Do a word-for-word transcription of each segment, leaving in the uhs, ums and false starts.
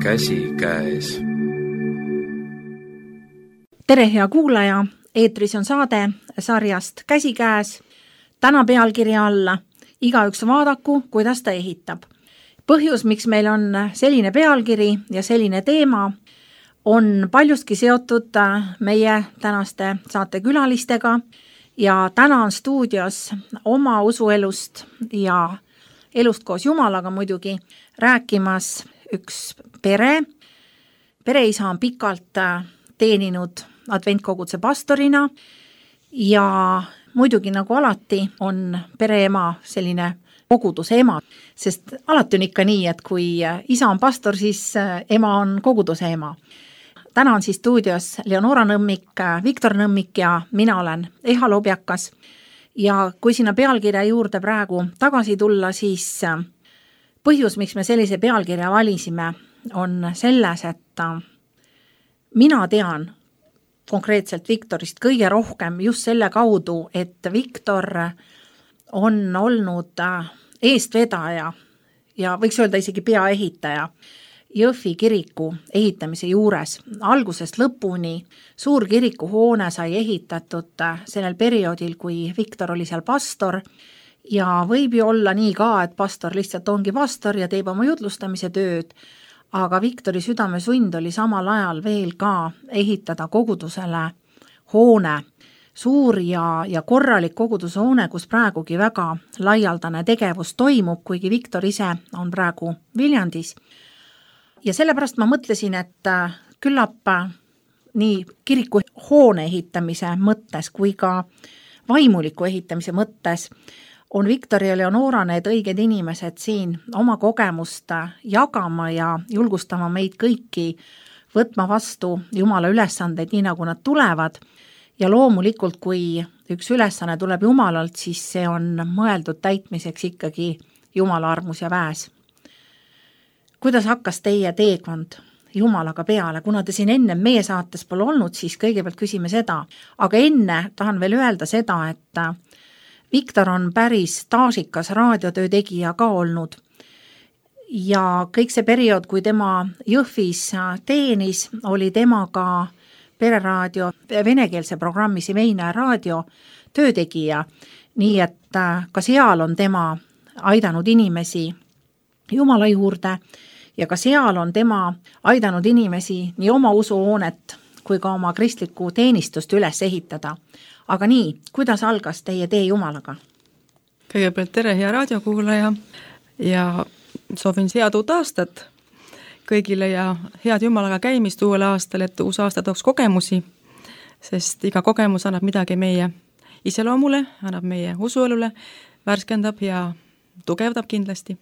käsikäes. Tere, hea kuulaja! Eetris on saade sarjast Käsikäes. Täna pealkirja alla igaüks vaadaku, kuidas ta ehitab. Põhjus, miks meil on selline pealkiri ja selline teema, on paljustki seotud meie tänaste saatekülalistega ja täna on stuudios oma usuelust ja elust koos Jumalaga muidugi rääkimas üks pere. Pereisa on pikalt teeninud adventkoguduse pastorina ja muidugi nagu alati on pereema selline koguduse ema, sest alati on ikka nii, et kui isa on pastor, siis ema on koguduse ema. Täna on siis stuudios Leonora Nõmmik, Viktor Nõmmik ja mina olen Eha Lobjakas. Ja kui sinna pealkirja juurde praegu tagasi tulla, siis põhjus, miks me sellise pealkirja valisime, on selles, et mina tean konkreetselt Viktorist kõige rohkem just selle kaudu, et Viktor on olnud eestvedaja ja võiks öelda isegi peaehitaja Jõhvi kiriku ehitamise juures. Algusest lõpuni suur kirikuhoone sai ehitatud sellel perioodil, kui Viktor oli seal pastor ja võib ju olla nii ka, et pastor lihtsalt ongi pastor ja teeb oma jutlustamise tööd, aga Viktori südamesund oli samal ajal veel ka ehitada kogudusele hoone, suur ja, ja korralik kogudushoone, kus praegugi väga laialdane tegevus toimub, kuigi Viktor ise on praegu Viljandis. Ja sellepärast ma mõtlesin, et küllap nii kiriku hoone ehitamise mõttes kui ka vaimuliku ehitamise mõttes on Viktor ja Leonora need õiged inimesed siin oma kogemust jagama ja julgustama meid kõiki võtma vastu Jumala ülesandeid nii, nagu nad tulevad. Ja loomulikult, kui üks ülesanne tuleb Jumalalt, siis see on mõeldud täitmiseks ikkagi Jumala armus ja väes. Kuidas hakkas teie teekond Jumalaga peale? Kuna te siin enne meie saates pole olnud, siis kõigepealt küsime seda. Aga enne tahan veel öelda seda, et Viktor on päris staažikas raadiotöö tegija ka olnud. Ja kõik see periood, kui tema Jõhvis teenis, oli temaga pereraadio venekeelse programmi Simeina raadio töötegija. Nii et ka seal on tema aidanud inimesi Jumala juurde ja ka seal on tema aidanud inimesi nii oma usuhoonet kui ka oma kristlikku teenistust üles ehitada. Aga nii, kuidas algas teie tee Jumalaga? Kõigepealt tere, hea raadiokuulaja ja soovin head uut aastat kõigile ja head Jumalaga käimist uuel aastal, et uus aasta tooks kogemusi, sest iga kogemus annab midagi meie iseloomule, annab meie usuelule, värskendab ja tugevdab kindlasti.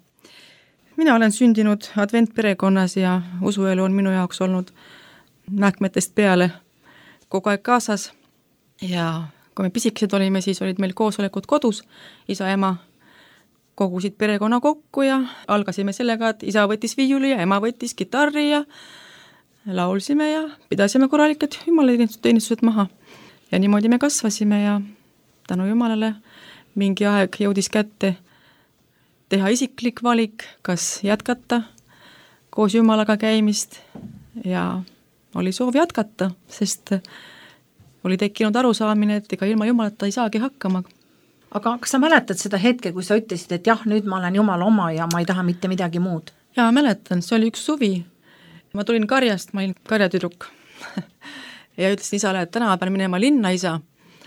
Mina olen sündinud adventperekonnas ja usuelu on minu jaoks olnud mähkmetest peale kogu aeg kaasas ja kui me pisikesed olime, siis olid meil koosolekud kodus, isa ja ema kogusid perekonna kokku ja algasime sellega, et isa võttis viiuli ja ema võttis kitarri ja laulsime ja pidasime korralikud Jumala teenistused maha. Ja niimoodi me kasvasime ja tänu Jumalale mingi aeg jõudis kätte teha isiklik valik, kas jätkata koos Jumalaga käimist ja oli soov jätkata, sest oli tekkinud arusaamine, et ega ilma Jumalata ei saagi hakkama. Aga kas sa mäletad seda hetke, kui sa ütlesid, et jah, nüüd ma olen Jumala oma ja ma ei taha mitte midagi muud? Jaa, mäletan, see oli üks suvi. Ma tulin karjast, ma olin karjatüdruk ja ütlesin isale, et täna pean minema linna isa,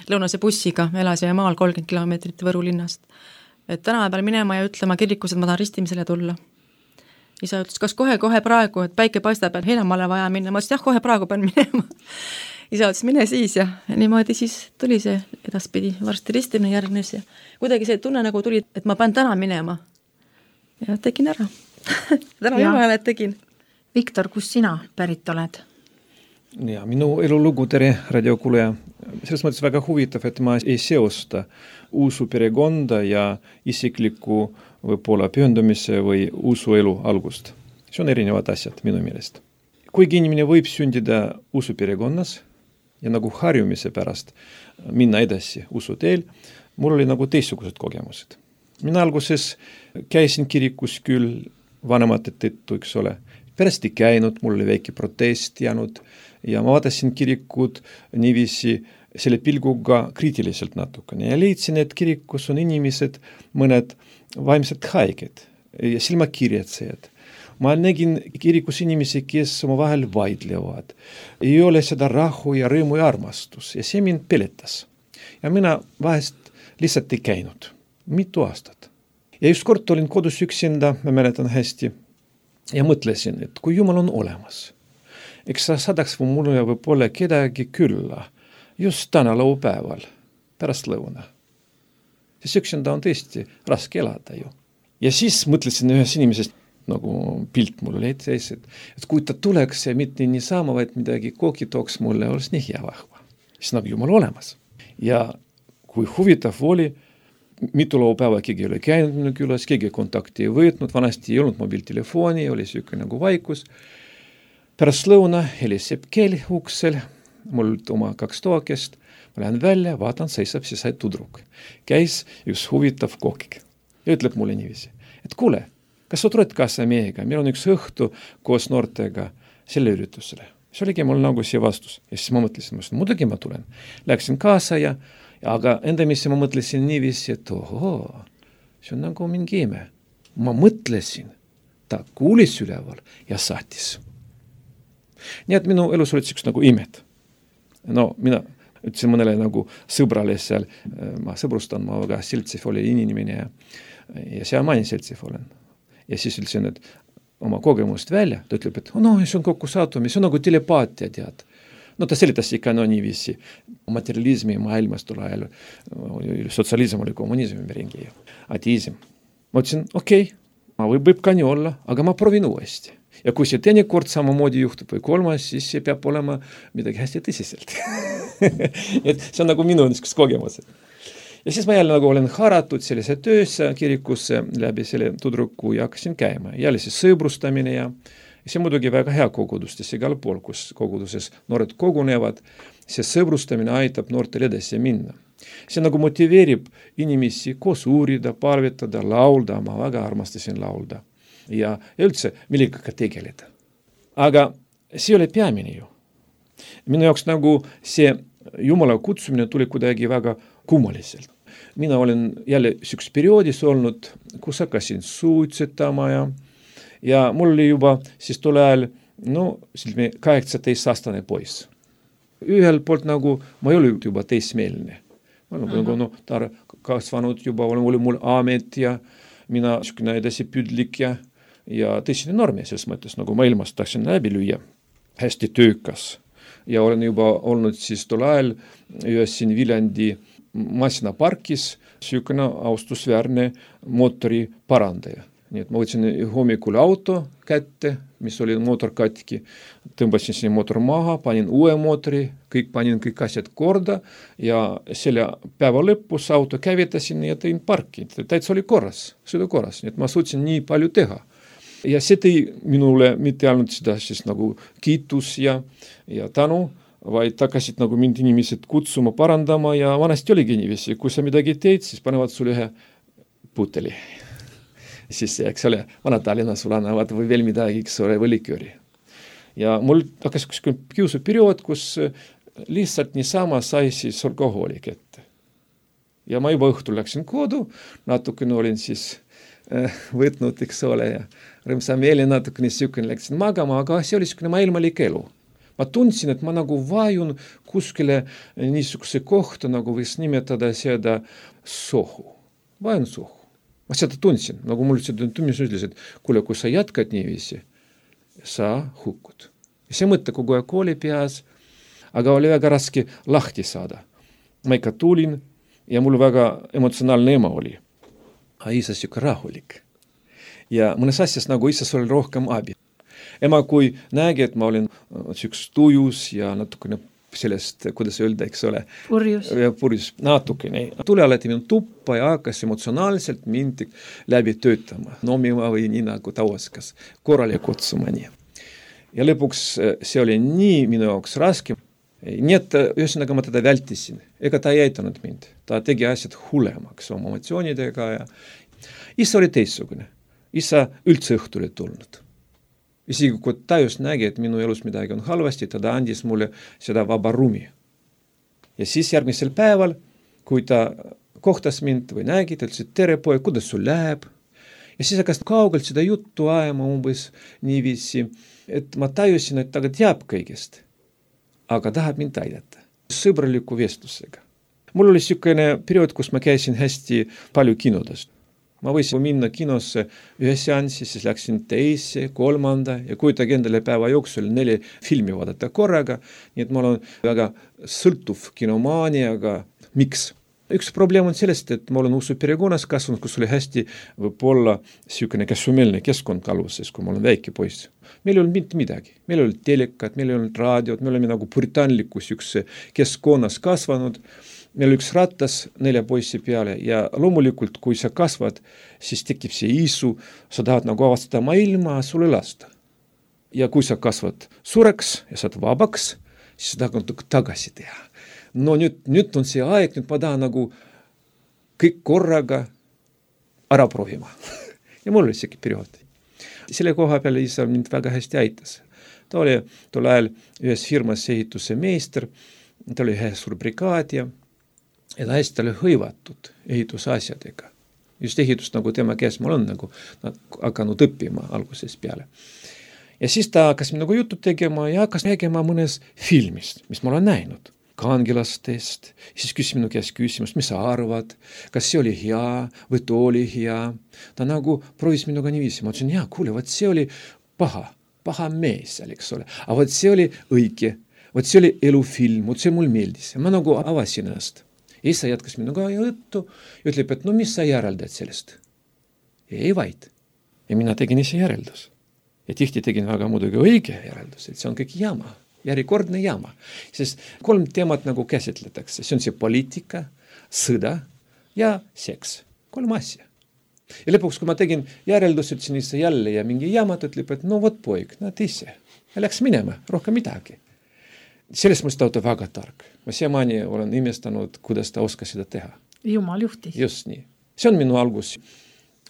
lõunase bussiga, elasime maal kolmkümmend kilomeetrit Võru linnast. Et täna pean minema ja ütlema kirikus, et ma tahan ristimisele tulla. Isa ütles, kas kohe-kohe praegu, et päike paistab, et Heinamaale vaja minna. Ma ütlesin, jah, kohe praegu pean minema. Isa ütles, mine siis ja niimoodi siis tuli see edaspidi varsti ristimine järgnes ja kuidagi see tunne nagu tuli, et ma pean täna minema. Ja tegin ära. täna Jumalale tegin. Viktor, kus sina pärit oled? Ja, minu elulugu tere radiokuulaja. Selles mõttes väga huvitav, et ma ei seosta usu perekonda ja isikliku võib-olla pühendumise või usuelu algust. See on erinevad asjad minu meelest. Kuigi inimene võib sündida usu perekonnas ja nagu harjumise pärast minna edasi usu teel, mul oli nagu teistsugused kogemused. Mina alguses käisin kirikus küll vanemate tõttu, eks ole. pärast ei käinud, mul oli väike protest jäänud ja ma vaatasin kirikut niiviisi selle pilguga kriitiliselt natukene ja leidsin, et kirikus on inimesed, mõned vaimsed haiged ja silmakirjatsejad. Ma nägin kirikus inimesi, kes oma vahel vaidlevad. Ei ole seda rahu ja rõõmu ja armastus ja see mind peletas. Ja mina vahest lihtsalt ei käinud. Mitu aastat. Ja just kord olin kodus üksinda, ma mäletan hästi, ja mõtlesin, et kui Jumal on olemas, eks sa saadaks või mulle võib-olla kedagi külla just täna laupäeval, pärast lõuna. Siis üksinda on tõesti raske elada ju. Ja siis mõtlesin ühes inimesest, nagu pilt mul oli ees, et, et kui ta tuleks ja mitte nii saama, vaid midagi kooki tooks mulle, oleks nii hea vahva. Siis nagu Jumal olemas. Ja kui huvitav oli, mitu laupäeva keegi oli käinud minu külas, keegi kontakti ei võtnud, vanasti ei olnud mobiiltelefoni, oli siuke nagu vaikus. Pärast lõuna heliseb kell uksel, mul oma kaks toakest, ma lähen välja, vaatan, seisab siis sai tudruk. Käis üks huvitav kookik ja ütleb mulle niiviisi, et kuule, kas sa tuled kaasa meiega, meil on üks õhtu koos noortega selle üritusele. See oligi mul nagu see vastus. Ja siis ma mõtlesin, ma muidugi ma tulen. Läksin kaasa ja, ja aga endamisi ma mõtlesin niiviisi, et ohoo, see on nagu mingi ime. Ma mõtlesin, ta kuulis üleval ja saatis. Nii et minu elus olid üks nagu imed. No mina ütlesin mõnele nagu sõbrale seal, ma sõbrustan, ma väga seltsiv oli inimene ja, ja see ma seltsiv olen. Ja siis ütlesin, et oma kogemust välja, ta ütleb, et no, see on kokku saatumi, see on nagu telepaatia, tead. No ta selitas ikka no niiviisi. Materialismi maailmas tule ajal, sotsialism oli kommunismi ringi, ateism. Ma ütlesin, okei, okay, ma võib, võib ka nii olla, aga ma proovin uuesti. Ja kui see teine kord samamoodi juhtub või kolmas, siis see peab olema midagi hästi tõsiselt. Et see on nagu minu niisugust kogemused. Ja siis ma jälle nagu olen haratud sellise töösse kirikusse läbi selle tudruku ja hakkasin käima. Jälle siis sõbrustamine ja see muidugi väga hea kogudustes igal pool, kus koguduses noored kogunevad. See sõbrustamine aitab noortel edasi minna. See nagu motiveerib inimesi koos uurida, palvetada, laulda. Ma väga armastasin laulda. Ja, ja üldse millega tegeleda. Aga see oli peamine ju. Minu jaoks nagu see Jumala kutsumine tuli kuidagi väga kummaliselt. Mina olen jälle üks perioodis olnud, kus hakkasin suitsetama ja, ja mul oli juba siis tule ajal no, kaheksateist-aastane poiss. Ühel poolt nagu ma ei ole juba teismeelne. Ma olen uh-huh. no, ta kasvanud juba, oli mul amet ja mina niisugune edasi püdlik ja, ja tõsine normi selles mõttes, nagu maailmas tahtsin läbi lüüa. Hästi töökas. Ja olen juba olnud siis tol ajal ühes siin Viljandi masinaparkis sükene austusväärne mootori parandaja. Nii et ma võtsin hommikul auto kätte, mis oli mootor katki, tõmbasin siin mootor maha, panin uue mootori, kõik panin kõik asjad korda ja selle päeva lõpus auto käivitasin ja tõin parki. Täitsa oli korras, sõidu korras, nii et ma suutsin nii palju teha. Ja see tõi minule mitte ainult seda siis nagu kiitus ja, ja tänu, vaid hakkasid nagu mind inimesed kutsuma, parandama ja vanasti oligi niiviisi. Kui sa midagi teed, siis panevad sulle ühe puteli. Siis, eks ole, Vana-Tallinna sulle annavad või veel midagi, eks ole, või likööri. Ja mul hakkas kiusu periood, kus lihtsalt niisama sai siis alkoholi kätte. Ja ma juba õhtul läksin kodu, natukene olin siis äh, võtnud, eks ole, ja rõmsa meeli natukene sükene läksin magama, aga see oli niisugune maailmalik elu. Ma tundsin, et ma nagu vajun kuskile niisuguse kohta, nagu võis nimetada seda sohu. Vajun sohu. Ma seda tundsin, nagu mul seda tundsin ütles, et kuule, kui sa jätkad niiviisi, sa hukkud. Ja see mõte kogu aeg oli peas, aga oli väga raske lahti saada. Ma ikka tulin ja mul väga emotsionaalne ema oli. A isa siuke rahulik. Ja mõnes asjas nagu isas oli rohkem abi. Ema, kui nägi, et ma olin üks tujus ja natukene sellest, kuidas öelda, eks ole, purjus, purjus natukene. Tuli alati minu tuppa ja hakkas emotsionaalselt mind läbi töötama, nomima või nii nagu ta oskas, korrale kutsuma nii. Ja lõpuks see oli nii minu jaoks raske. Nii et ühesõnaga ma teda vältisin, ega ta ei aitanud mind. Ta tegi asjad hullemaks oma emotsioonidega ja isa oli teistsugune. Isa üldse õhtul ei tulnud. Isegi kui ta just nägi, et minu elus midagi on halvasti, ta andis mulle seda vaba ruumi. Ja siis järgmisel päeval, kui ta kohtas mind või nägi, ta ütles, et tere poeg, kuidas sul läheb? Ja siis hakkas kaugelt seda juttu ajama umbes niiviisi, et ma tajusin, et ta teab kõigest, aga tahab mind aidata. Sõbraliku vestlusega. Mul oli niisugune periood, kus ma käisin hästi palju kinodest. Ma võisin minna kinosse ühe seanssi, siis läksin teise, kolmanda ja kujutage endale päeva jooksul neli filmi vaadata korraga, nii et mul on väga sõltuv kinomaani, aga miks? Üks probleem on sellest, et ma olen usu perekonnas kasvanud, kus oli hästi võib-olla niisugune käsumeelne keskkond aluses, kui ma olen väike poiss. Meil ei olnud mitte midagi. Meil ei olnud telekat, meil ei olnud raadiot, me oleme nagu puritaanlikus üks keskkonnas kasvanud. Meil oli üks ratas nelja poissi peale ja loomulikult, kui sa kasvad, siis tekib see isu, sa tahad nagu avastada maailma, sulle lasta. Ja kui sa kasvad suureks ja saad vabaks, siis sa tahad tagasi teha. No nüüd, nüüd on see aeg, nüüd ma tahan nagu kõik korraga ära proovima. Ja mul oli see periood. Selle koha peale isa mind väga hästi aitas. Ta oli tol ajal ühes firmas ehituse meister, ta oli ühe suur brigaad ja ja ta hästi oli hõivatud ehitusasjadega. Just ehitust nagu tema käes mul on nagu hakanud õppima algusest peale. Ja siis ta hakkas nagu juttu tegema ja hakkas räägima mõnes filmist, mis ma olen näinud. Kangelastest. Siis küsis minu käest küsimust, mis sa arvad, kas see oli hea või too oli hea. Ta nagu proovis minuga niiviisi. Ma ütlesin, jaa, kuule, võt see oli paha, paha mees seal, eks ole. Aga võt see oli õige, võt see oli elufilm, võt see mul meeldis. Ja ma nagu avasin ennast. Isa jätkas minuga juttu ja ütleb, et no mis sa järeldad sellest? Ei vaid. Ja mina tegin ise järeldus. Ja tihti tegin väga muidugi õige järeldus, et see on kõik jama, järjekordne jama. Sest kolm teemat nagu käsitletakse. See on see poliitika, sõda ja seks. Kolm asja. Ja lõpuks, kui ma tegin järeldus, ütlesin ise jälle ja mingi jamat ütleb, et no vot poeg, nad ise. Ja läks minema, rohkem midagi. Selles mõttes ta on väga tark. Ma siiamaani olen imestanud, kuidas ta oskas seda teha. Jumal juhtis. Just nii. See on minu algus.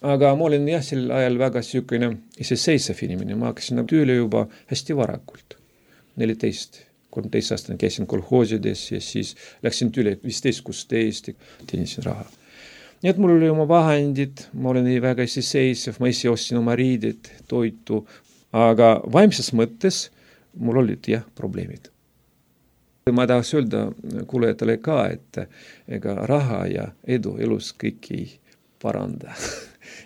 Aga ma olin jah sel ajal väga niisugune iseseisev inimene. Ma hakkasin tööle juba hästi varakult. neliteist, kolmteist aastane käisin kolhoosides ja siis läksin tööle viisteist, kuusteist ja teenisin raha. Nii et mul oli oma vahendid, ma olin väga iseseisev, ma ise ostsin oma riided, toitu, aga vaimses mõttes mul olid jah probleemid. Ma tahaks öelda kuulajatele ka, et ega raha ja edu elus kõik ei paranda.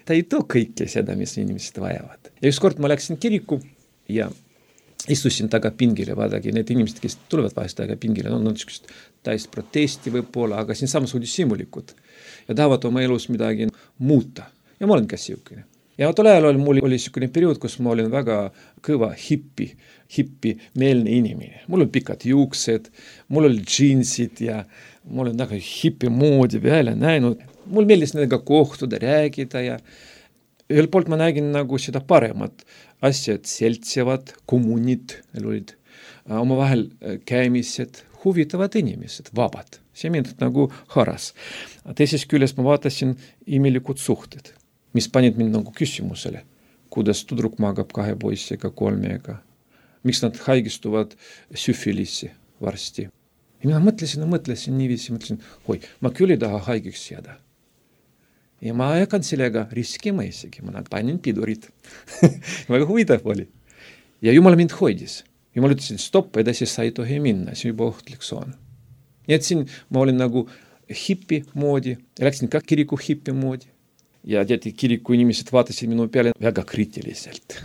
Ta ei too kõike seda, mis inimesed vajavad. Ja üks kord ma läksin kiriku ja istusin taga pingile, vaadagi need inimesed, kes tulevad vahest taga pingile, on no, täis protesti võib-olla, aga siin samas oli simulikud ja tahavad oma elus midagi muuta. Ja ma olen ka siukene. Ja tol ajal mul oli niisugune periood, kus ma olin väga kõva hippi, hippi meelne inimene. Mul oli pikad juuksed, mul oli džiinsid ja mul oli väga hippi moodi välja näinud. Mul meeldis nendega kohtuda, räägida ja ühel poolt ma nägin nagu seda paremat asjad, seltsivad, kommunid, olid oma vahel käimised, huvitavad inimesed, vabad. See mind nagu haras. Teises küljes ma vaatasin imelikud suhted, mis panid mind nagu küsimusele, kuidas tudruk magab kahe poissiga, kolmega, miks nad haigistuvad süfilisi varsti. Ja mina mõtlesin ja mõtlesin niiviisi, mõtlesin, oi, ma küll ei taha haigeks jääda. Ja ma hakkan sellega riskima isegi, ma panin pidurid. Väga huvitav oli. Ja Jumal mind hoidis. Jumal ütlesin, stopp, edasi sa ei tohi minna, see juba ohtlik on. Nii et siin ma olin nagu hippi moodi, ja läksin ka kiriku hippi moodi. Ja teati, kiriku inimesed vaatasid minu peale väga kriitiliselt.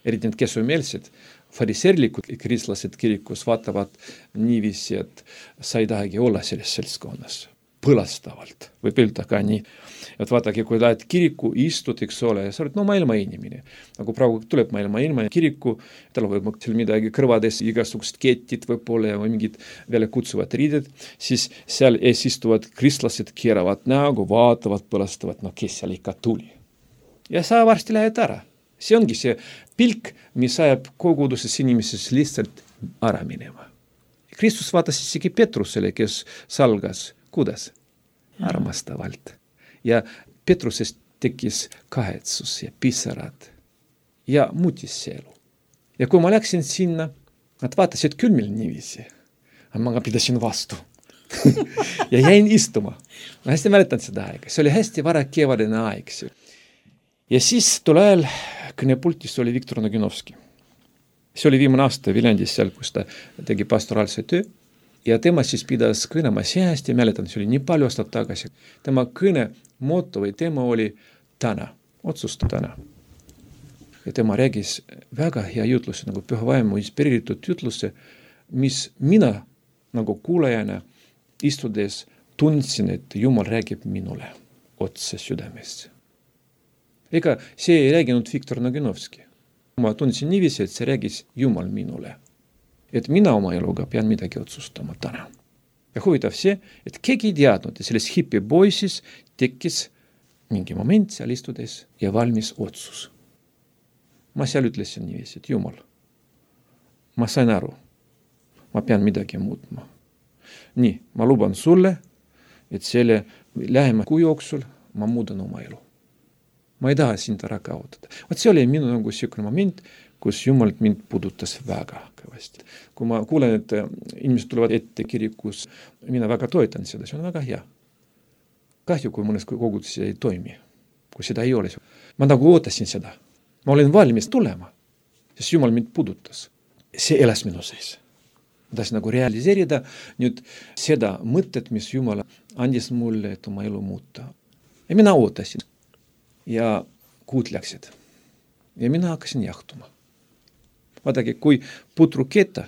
Eriti need kesumeelsed, fariseerlikud kristlased kirikus vaatavad niiviisi, et sa ei tahagi olla selles seltskonnas. Põlastavalt, võib öelda ka nii. Et vaadake, kui lähed kiriku istud, eks ole, sa oled no maailma inimene. Nagu praegu tuleb maailma ilma kiriku, tal võib seal midagi kõrvades, igasugused ketid võib-olla ja mingid veel kutsuvad riided, siis seal ees istuvad kristlased keeravad näogu, vaatavad, põlastavad, no kes seal ikka tuli. Ja sa varsti lähed ära. See ongi see pilk, mis ajab koguduses inimeses lihtsalt ära minema. Kristus vaatas isegi Petrusele, kes salgas. Kuidas? Armastavalt. Ja Petrusest tekkis kahetsus ja pisarad ja muutis see elu. Ja kui ma läksin sinna, nad vaatasid küll meil niiviisi, aga ma pidasin vastu. ja jäin istuma. Ma hästi mäletan seda aega. See oli hästi vara kevadine aeg. Ja siis tol ajal kõnepultis oli Viktor Noginovski. See oli viimane aasta Viljandis seal, kus ta tegi pastoraalse töö. Ja tema siis pidas kõne, ma hästi mäletan, see oli nii palju aastat tagasi. Tema kõne moto või teema oli täna, otsusta täna. Ja tema räägis väga hea jutluse, nagu Püha Vaimu inspireeritud jutluse, mis mina nagu kuulajana istudes tundsin, et Jumal räägib minule otse südamesse. Ega see ei rääginud Viktor Noginovski. Ma tundsin niiviisi, et see räägis Jumal minule. Et mina oma eluga pean midagi otsustama täna. Ja huvitav see, et keegi ei teadnud, et selles hipi poisis tekkis mingi moment seal istudes ja valmis otsus. Ma seal ütlesin niiviisi, et Jumal, ma sain aru, ma pean midagi muutma. Nii, ma luban sulle, et selle lähema kuu jooksul ma muudan oma elu. Ma ei taha sind ära kaotada. Vaat see oli minu nagu siukene moment, kus Jumal mind puudutas väga kõvasti. Kui ma kuulen, et inimesed tulevad ette kirikus, mina väga toetan seda, see on väga hea. Kahju, kui mõnes koguduses ei toimi, kui seda ei ole. Ma nagu ootasin seda. Ma olen valmis tulema, sest Jumal mind puudutas. See elas minu sees. Ma tahtsin nagu realiseerida nüüd seda mõtet, mis Jumal andis mulle, et oma elu muuta. Ja mina ootasin. Ja kuud läksid. Ja mina hakkasin jahtuma. Vaadake, kui putru keta,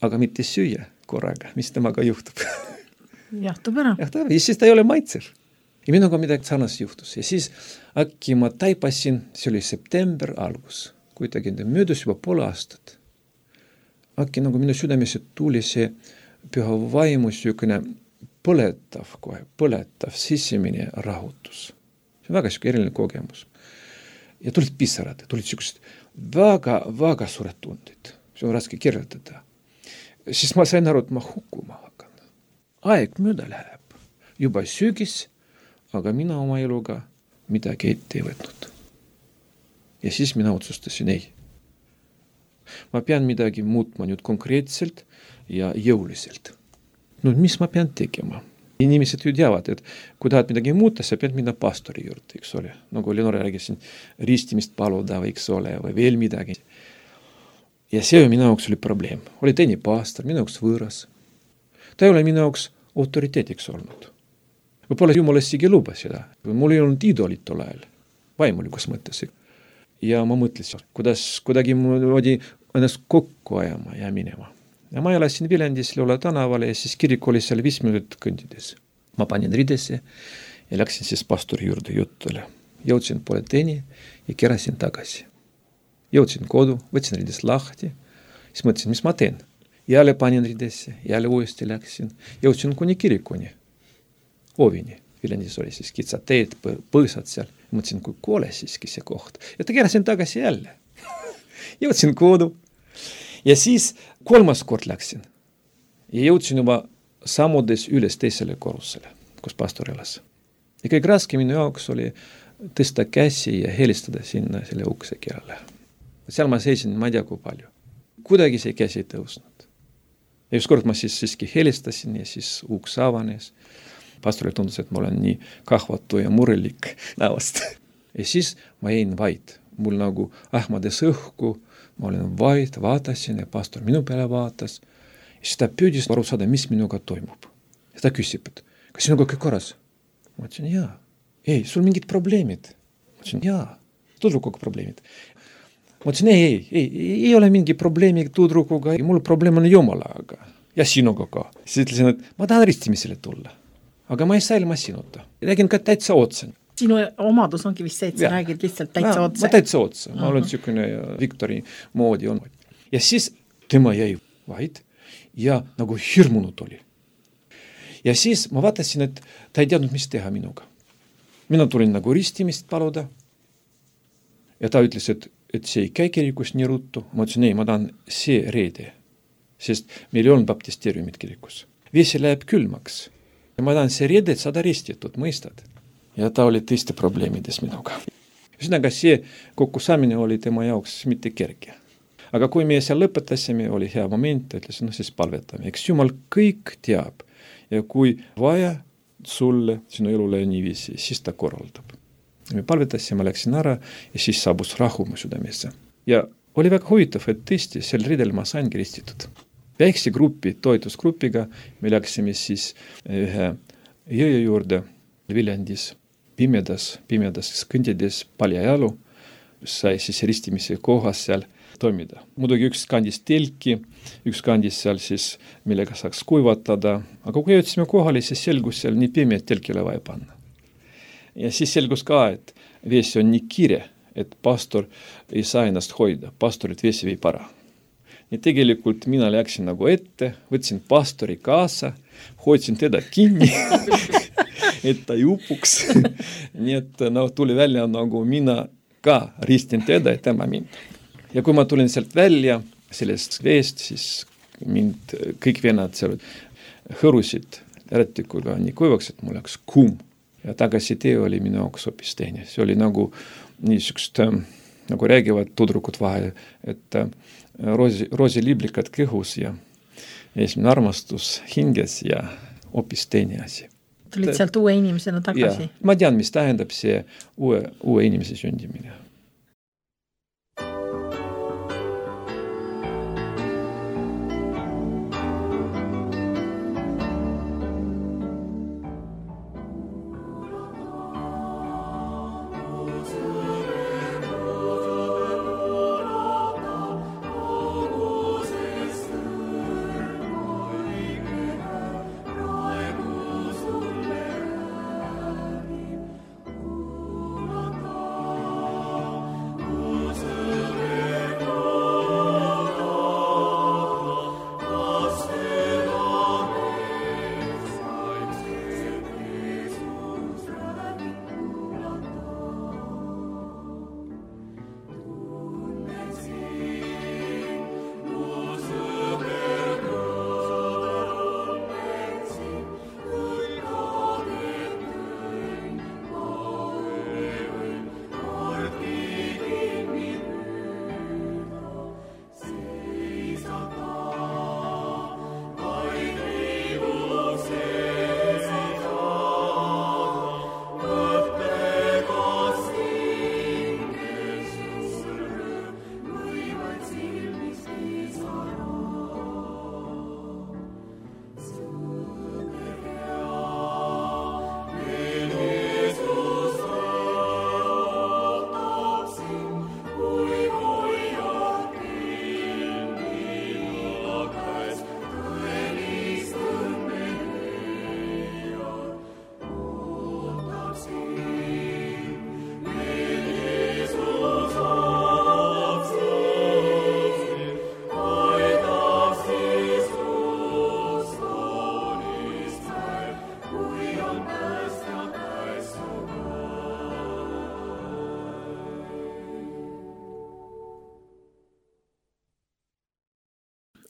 aga mitte süüa korraga, mis temaga juhtub. Jahtub ära. Jahtub ära, ja siis ta ei ole maitsev. Ja minuga midagi sarnast juhtus. Ja siis äkki ma taipasin, see oli september algus, kuidagi möödus juba poole aastat. Äkki nagu minu südamesse tuli see Püha Vaimu süükene põletav kohe, põletav sisemine rahutus. See on väga siuke eriline kogemus. Ja tulid pisarad, tulid siuksed väga, väga suured tundid. See on raske kirjeldada. Siis ma sain aru, et ma hukkuma hakkan. Aeg mööda läheb. Juba sügis, aga mina oma eluga midagi ette ei võtnud. Ja siis mina otsustasin, ei. Ma pean midagi muutma nüüd konkreetselt ja jõuliselt. No mis ma pean tegema? Inimesed ju teavad, et kui tahad midagi muuta, sa pead minna pastori juurde, eks ole. Nagu Leonore räägisin, ristimist paluda või eks ole, või veel midagi. Ja see minu jaoks oli probleem. Oli teine pastor, minu jaoks võõras. Ta ei ole minu jaoks autoriteetiks olnud. Võib-olla Jumal isegi luba seda. Mul ei olnud idolit tol ajal, vaimulikus mõttes. Ja ma mõtlesin, kuidas kuidagi moodi ennast kokku ajama ja minema. Ja ma elasin Viljandis Leola tänavale ja siis kirik oli seal viis minutit kõndides. Ma panin ridesse ja läksin siis pastori juurde juttule. Jõudsin poole teeni ja kerasin tagasi. Jõudsin kodu, võtsin rides lahti, siis mõtlesin, mis ma teen. Jälle panin ridesse, jälle uuesti läksin. Jõudsin kuni kirikuni, ovini. Viljandis oli siis kitsad teed, põõsad seal. Mõtlesin, kui koole siiski see koht. Ja ta kerasin tagasi jälle. Jõudsin kodu. Ja siis kolmas kord läksin ja jõudsin juba sammudes üles teisele korrusele, kus pastor elas. Ja kõik raske minu jaoks oli tõsta käsi ja helistada sinna selle ukse keelele. Seal ma seisin, ma ei tea kui palju. Kuidagi see käsi ei tõusnud. Ja üks kord ma siis siiski helistasin ja siis uks avanes. Pastorile tundus, et ma olen nii kahvatu ja murelik näost. Ja siis ma jäin vaid. Mul nagu ähmades õhku, ma olen vaid, vaatasin ja pastor minu peale vaatas. Ja siis ta püüdis aru saada, mis minuga toimub. Ja ta küsib, et kas sinuga kõik korras? Ma ütlesin, jaa. Ei, sul mingid probleemid. Ma ütlesin, jaa, tudrukuga probleemid. Ma ütlesin, ei, ei, ei, ei ole mingi probleemi tudrukuga, mul probleem on Jumalaga ja sinuga ka. Siis ütlesin, et ma tahan ristimisele tulla, aga ma ei saa ilma sinuta. Räägin ka täitsa otsa. Sinu omadus ongi vist see, et sa ja. räägid lihtsalt täitsa ja, otsa. Ma täitsa otsa. Ma uh-huh. olen siukene Viktori moodi on. Ja siis tema jäi vaid ja nagu hirmunud oli. Ja siis ma vaatasin, et ta ei teadnud, mis teha minuga. Mina tulin nagu ristimist paluda ja ta ütles, et, et see ei käi kirikus nii ruttu. Ma ütlesin, ei, ma tahan see reede, sest meil ei olnud baptisteeriumid kirikus. Vesi läheb külmaks ja ma tahan see reede, et saada ristitud, mõistad? Ja ta oli tõesti probleemides minuga. Üsnaga see kokkusaamine oli tema jaoks mitte kerge. aga kui me seal lõpetasime, oli hea moment, ütlesin, no siis palvetame. Eks Jumal kõik teab ja kui vaja sulle sinu elule niiviisi, siis ta korraldab. Me palvetasime, läksin ära ja siis saabus rahu mu südamesse. Ja oli väga huvitav, et tõesti sel ridel ma sain kristitud. Väikse grupi, toetusgrupiga me läksime siis ühe jõe juurde Viljandis, pimedas, pimedas kõndides paljajalu, sai siis ristimise kohas seal toimida. Muidugi üks kandis telki, üks kandis seal siis, millega saaks kuivatada, aga kui jõudsime kohale, siis selgus seal nii pime, et telkile vaja panna. Ja siis selgus ka, et veesi on nii kiire, et pastor ei saa ennast hoida, pastorit veesi viib ära. Ja tegelikult mina läksin nagu ette, võtsin pastori kaasa, hoidsin teda kinni, et ta ei upuks. Nii et no, tuli välja nagu mina ka ristin teda ja tema mind. Ja kui ma tulin sealt välja sellest veest, siis mind kõik vennad seal hõrusid äretikuga nii kuivaks, et mul läks kuum. Ja tagasi tee oli minu jaoks hoopis teine. See oli nagu niisugust, nagu räägivad tudrukud vahel, et roosi, roosiliiblikad kõhus ja esimene armastus hinges ja hoopis teine asi. Tulid sealt uue inimesena tagasi? Ja, ma tean, mis tähendab see uue, uue inimese sündimine.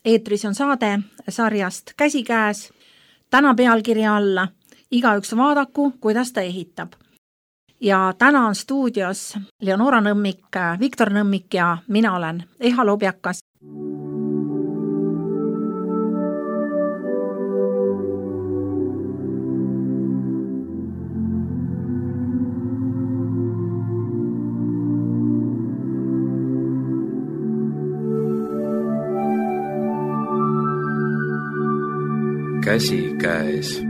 Eetris on saade sarjast Käsikäes. Täna pealkirja alla igaüks vaadaku, kuidas ta ehitab. Ja täna on stuudios Leonora Nõmmik, Viktor Nõmmik ja mina olen Eha Lobjakas. Käsikäes.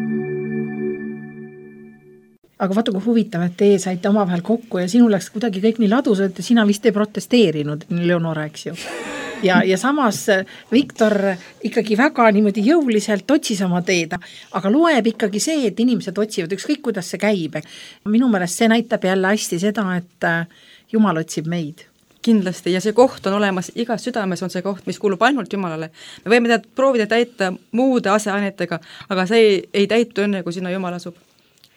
Aga vaata, kui huvitav, et teie saite omavahel kokku ja sinu läks kuidagi kõik nii ladusalt ja sina vist ei protesteerinud, Leonora, eks ju. Ja, ja samas Viktor ikkagi väga niimoodi jõuliselt otsis oma teed, aga loeb ikkagi see, et inimesed otsivad ükskõik, kuidas see käib. Minu meelest see näitab jälle hästi seda, et Jumal otsib meid. Kindlasti, ja see koht on olemas, igas südames on see koht, mis kuulub ainult Jumalale. Me võime tead proovida täita muude aseainetega, aga see ei, ei täitu enne, kui sinna Jumal asub.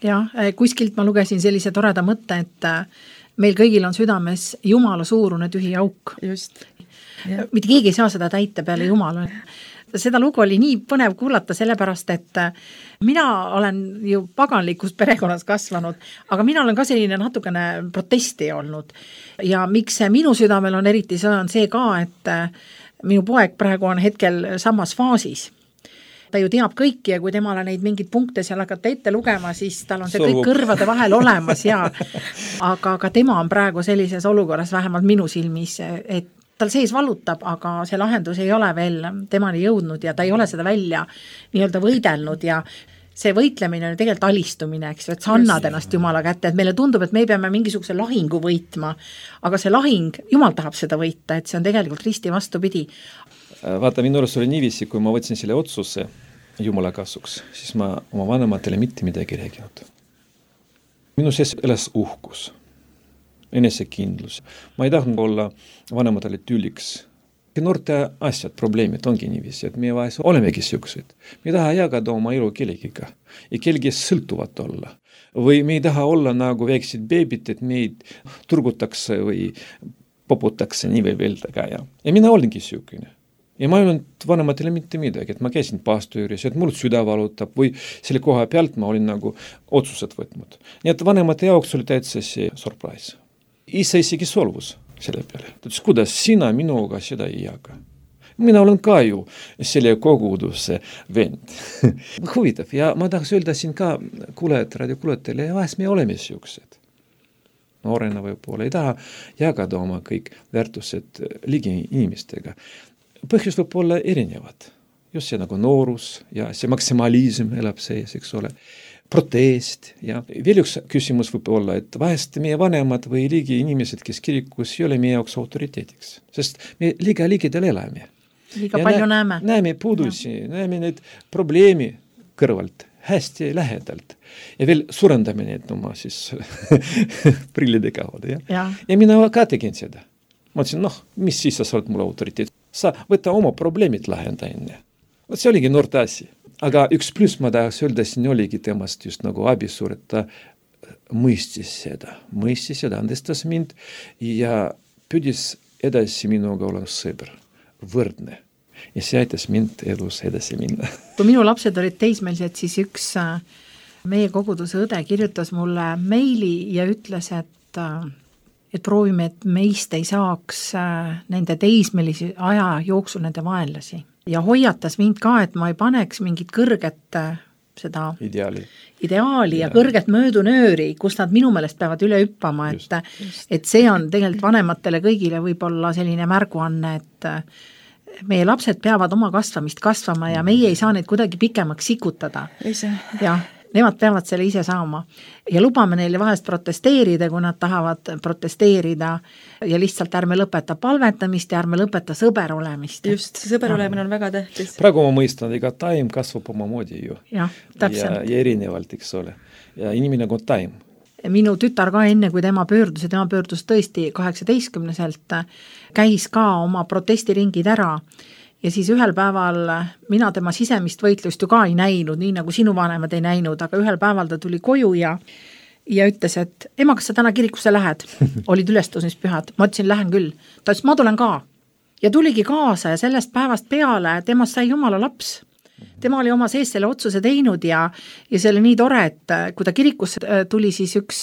Ja, kuskilt ma lugesin sellise toreda mõtte, et meil kõigil on südames Jumala suurune tühi auk. Just. Ja. Mitte keegi ei saa seda täita peale Jumala. seda lugu oli nii põnev kuulata, sellepärast, et mina olen ju paganlikus perekonnas kasvanud, aga mina olen ka selline natukene protesti olnud. Ja miks minu südamel on eriti, see on see ka, et minu poeg praegu on hetkel samas faasis. Ta ju teab kõiki ja kui temale neid mingeid punkte seal hakata ette lugema, siis tal on see kõik kõrvade vahel olemas ja aga ka tema on praegu sellises olukorras, vähemalt minu silmis, et tal sees valutab, aga see lahendus ei ole veel temani jõudnud ja ta ei ole seda välja nii-öelda võidelnud ja see võitlemine on tegelikult alistumine, eks ju, et sa annad ennast Jumala kätte, et meile tundub, et me peame mingisuguse lahingu võitma, aga see lahing, Jumal tahab seda võita, et see on tegelikult risti vastupidi. Vaata, minu arust oli niiviisi, kui ma võtsin selle otsuse Jumala kasuks, siis ma oma vanematele mitte midagi rääginud. Minu sees elas uhkus, enesekindlus. Ma ei tahtnud olla vanematele tüliks. Noorte asjad, probleemid ongi niiviisi, et meie vahel olemegi siuksed. Me ei taha jagada oma elu kellegiga ja kellegi sõltuvat olla. Või me ei taha olla nagu väiksid beebid, et meid turgutakse või poputakse nii või veeldaga. Ja, ja mina olengi siukene. Ja ma ei olnud vanematele mitte midagi, et ma käisin pastüüris, et mul süda valutab või selle koha pealt ma olin nagu otsused võtnud. Nii et vanemate jaoks oli täitsa see surprise. Isa isegi solvus selle peale. Ta ütles, kuidas sina minuga seda ei jaga? Mina olen ka ju selle koguduse vend. Huvitav ja ma tahaks öelda siin ka kuulejad, radiokuulajatele, ja vahest me oleme siuksed. Noorena võib-olla ei taha jagada oma kõik väärtused ligi inimestega. Põhjus võib olla erinevad. Just see nagu noorus ja see maksimalism elab sees, eks ole. Protest ja veel üks küsimus võib olla, et vahest meie vanemad või ligi inimesed, kes kirikus ei ole meie jaoks autoriteediks, sest me liiga ligidel elame. Liiga ja palju näeme. Näeme puudusi, ja. näeme need probleemi kõrvalt, hästi lähedalt ja veel suurendame need oma siis prillide kaudu. Ja? Ja. ja mina ka tegin seda. Ma ütlesin, noh, mis siis sa oled mul autoriteet? Sa võta oma probleemid lahenda enne. Võt see oligi noorte asi. Aga üks pluss ma tahaks öelda, siin oligi temast just nagu abisuur, et ta mõistis seda, mõistis seda, andestas mind ja püüdis edasi minuga olla sõber, võrdne. Ja see aitas mind elus edasi minna. Kui minu lapsed olid teismelised, siis üks meie koguduse õde kirjutas mulle meili ja ütles, et, et proovime, et meist ei saaks nende teismelisi aja jooksul nende vaenlasi. Ja hoiatas mind ka, et ma ei paneks mingit kõrget seda ideaali, ideaali ja, ja kõrget möödunööri, kus nad minu meelest peavad üle hüppama, et, et see on tegelikult vanematele kõigile võib-olla selline märguanne, et meie lapsed peavad oma kasvamist kasvama ja meie ei saa neid kuidagi pikemaks sikutada. Ja nemad peavad selle ise saama ja lubame neile vahest protesteerida, kui nad tahavad protesteerida ja lihtsalt ärme lõpeta palvetamist ja ärme lõpeta sõber olemist. Just, see sõber olemine on väga tähtis. Praegu ma mõistan, ega taim kasvab oma moodi ju. Ja, ja, ja erinevalt, eks ole. Ja inimene nagu taim. Minu tütar ka enne, kui tema pöördus ja tema pöördus tõesti kaheksateistkümneselt, käis ka oma protestiringid ära. Ja siis ühel päeval mina tema sisemist võitlust ju ka ei näinud, nii nagu sinu vanemad ei näinud, aga ühel päeval ta tuli koju ja, ja ütles, et ema, kas sa täna kirikusse lähed? Olid ülestõusmispühad. Ma ütlesin, lähen küll. Ta ütles, ma tulen ka. Ja tuligi kaasa ja sellest päevast peale temast sai Jumala laps. Tema oli oma sees selle otsuse teinud ja, ja see oli nii tore, et kui ta kirikusse tuli, siis üks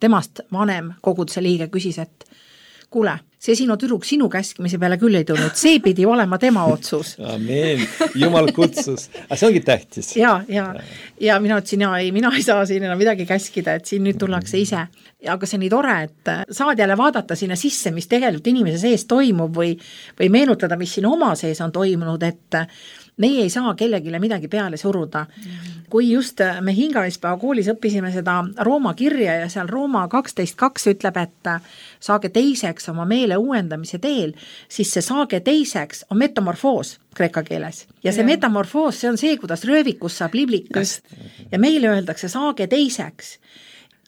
temast vanem koguduse liige küsis, et kuule, see sinu tüdruk sinu käskimise peale küll ei tulnud, see pidi olema tema otsus. Amen, Jumal kutsus. Aga see ongi tähtis. Ja, ja, ja mina ütlesin, ja ei, mina ei saa siin enam midagi käskida, et siin nüüd tullakse ise. Aga see on nii tore, et saad jälle vaadata sinna sisse, mis tegelikult inimese sees toimub või, või meenutada, mis siin oma sees on toimunud, et meie ei saa kellegile midagi peale suruda. Kui just me hingamispäeva koolis õppisime seda Rooma kirja ja seal Rooma kaksteist kaks ütleb, et saage teiseks oma meele uuendamise teel, siis see saage teiseks on metamorfoos kreeka keeles. Ja see ja. metamorfoos, see on see, kuidas röövikus saab liblikas. Just. Ja meile öeldakse saage teiseks.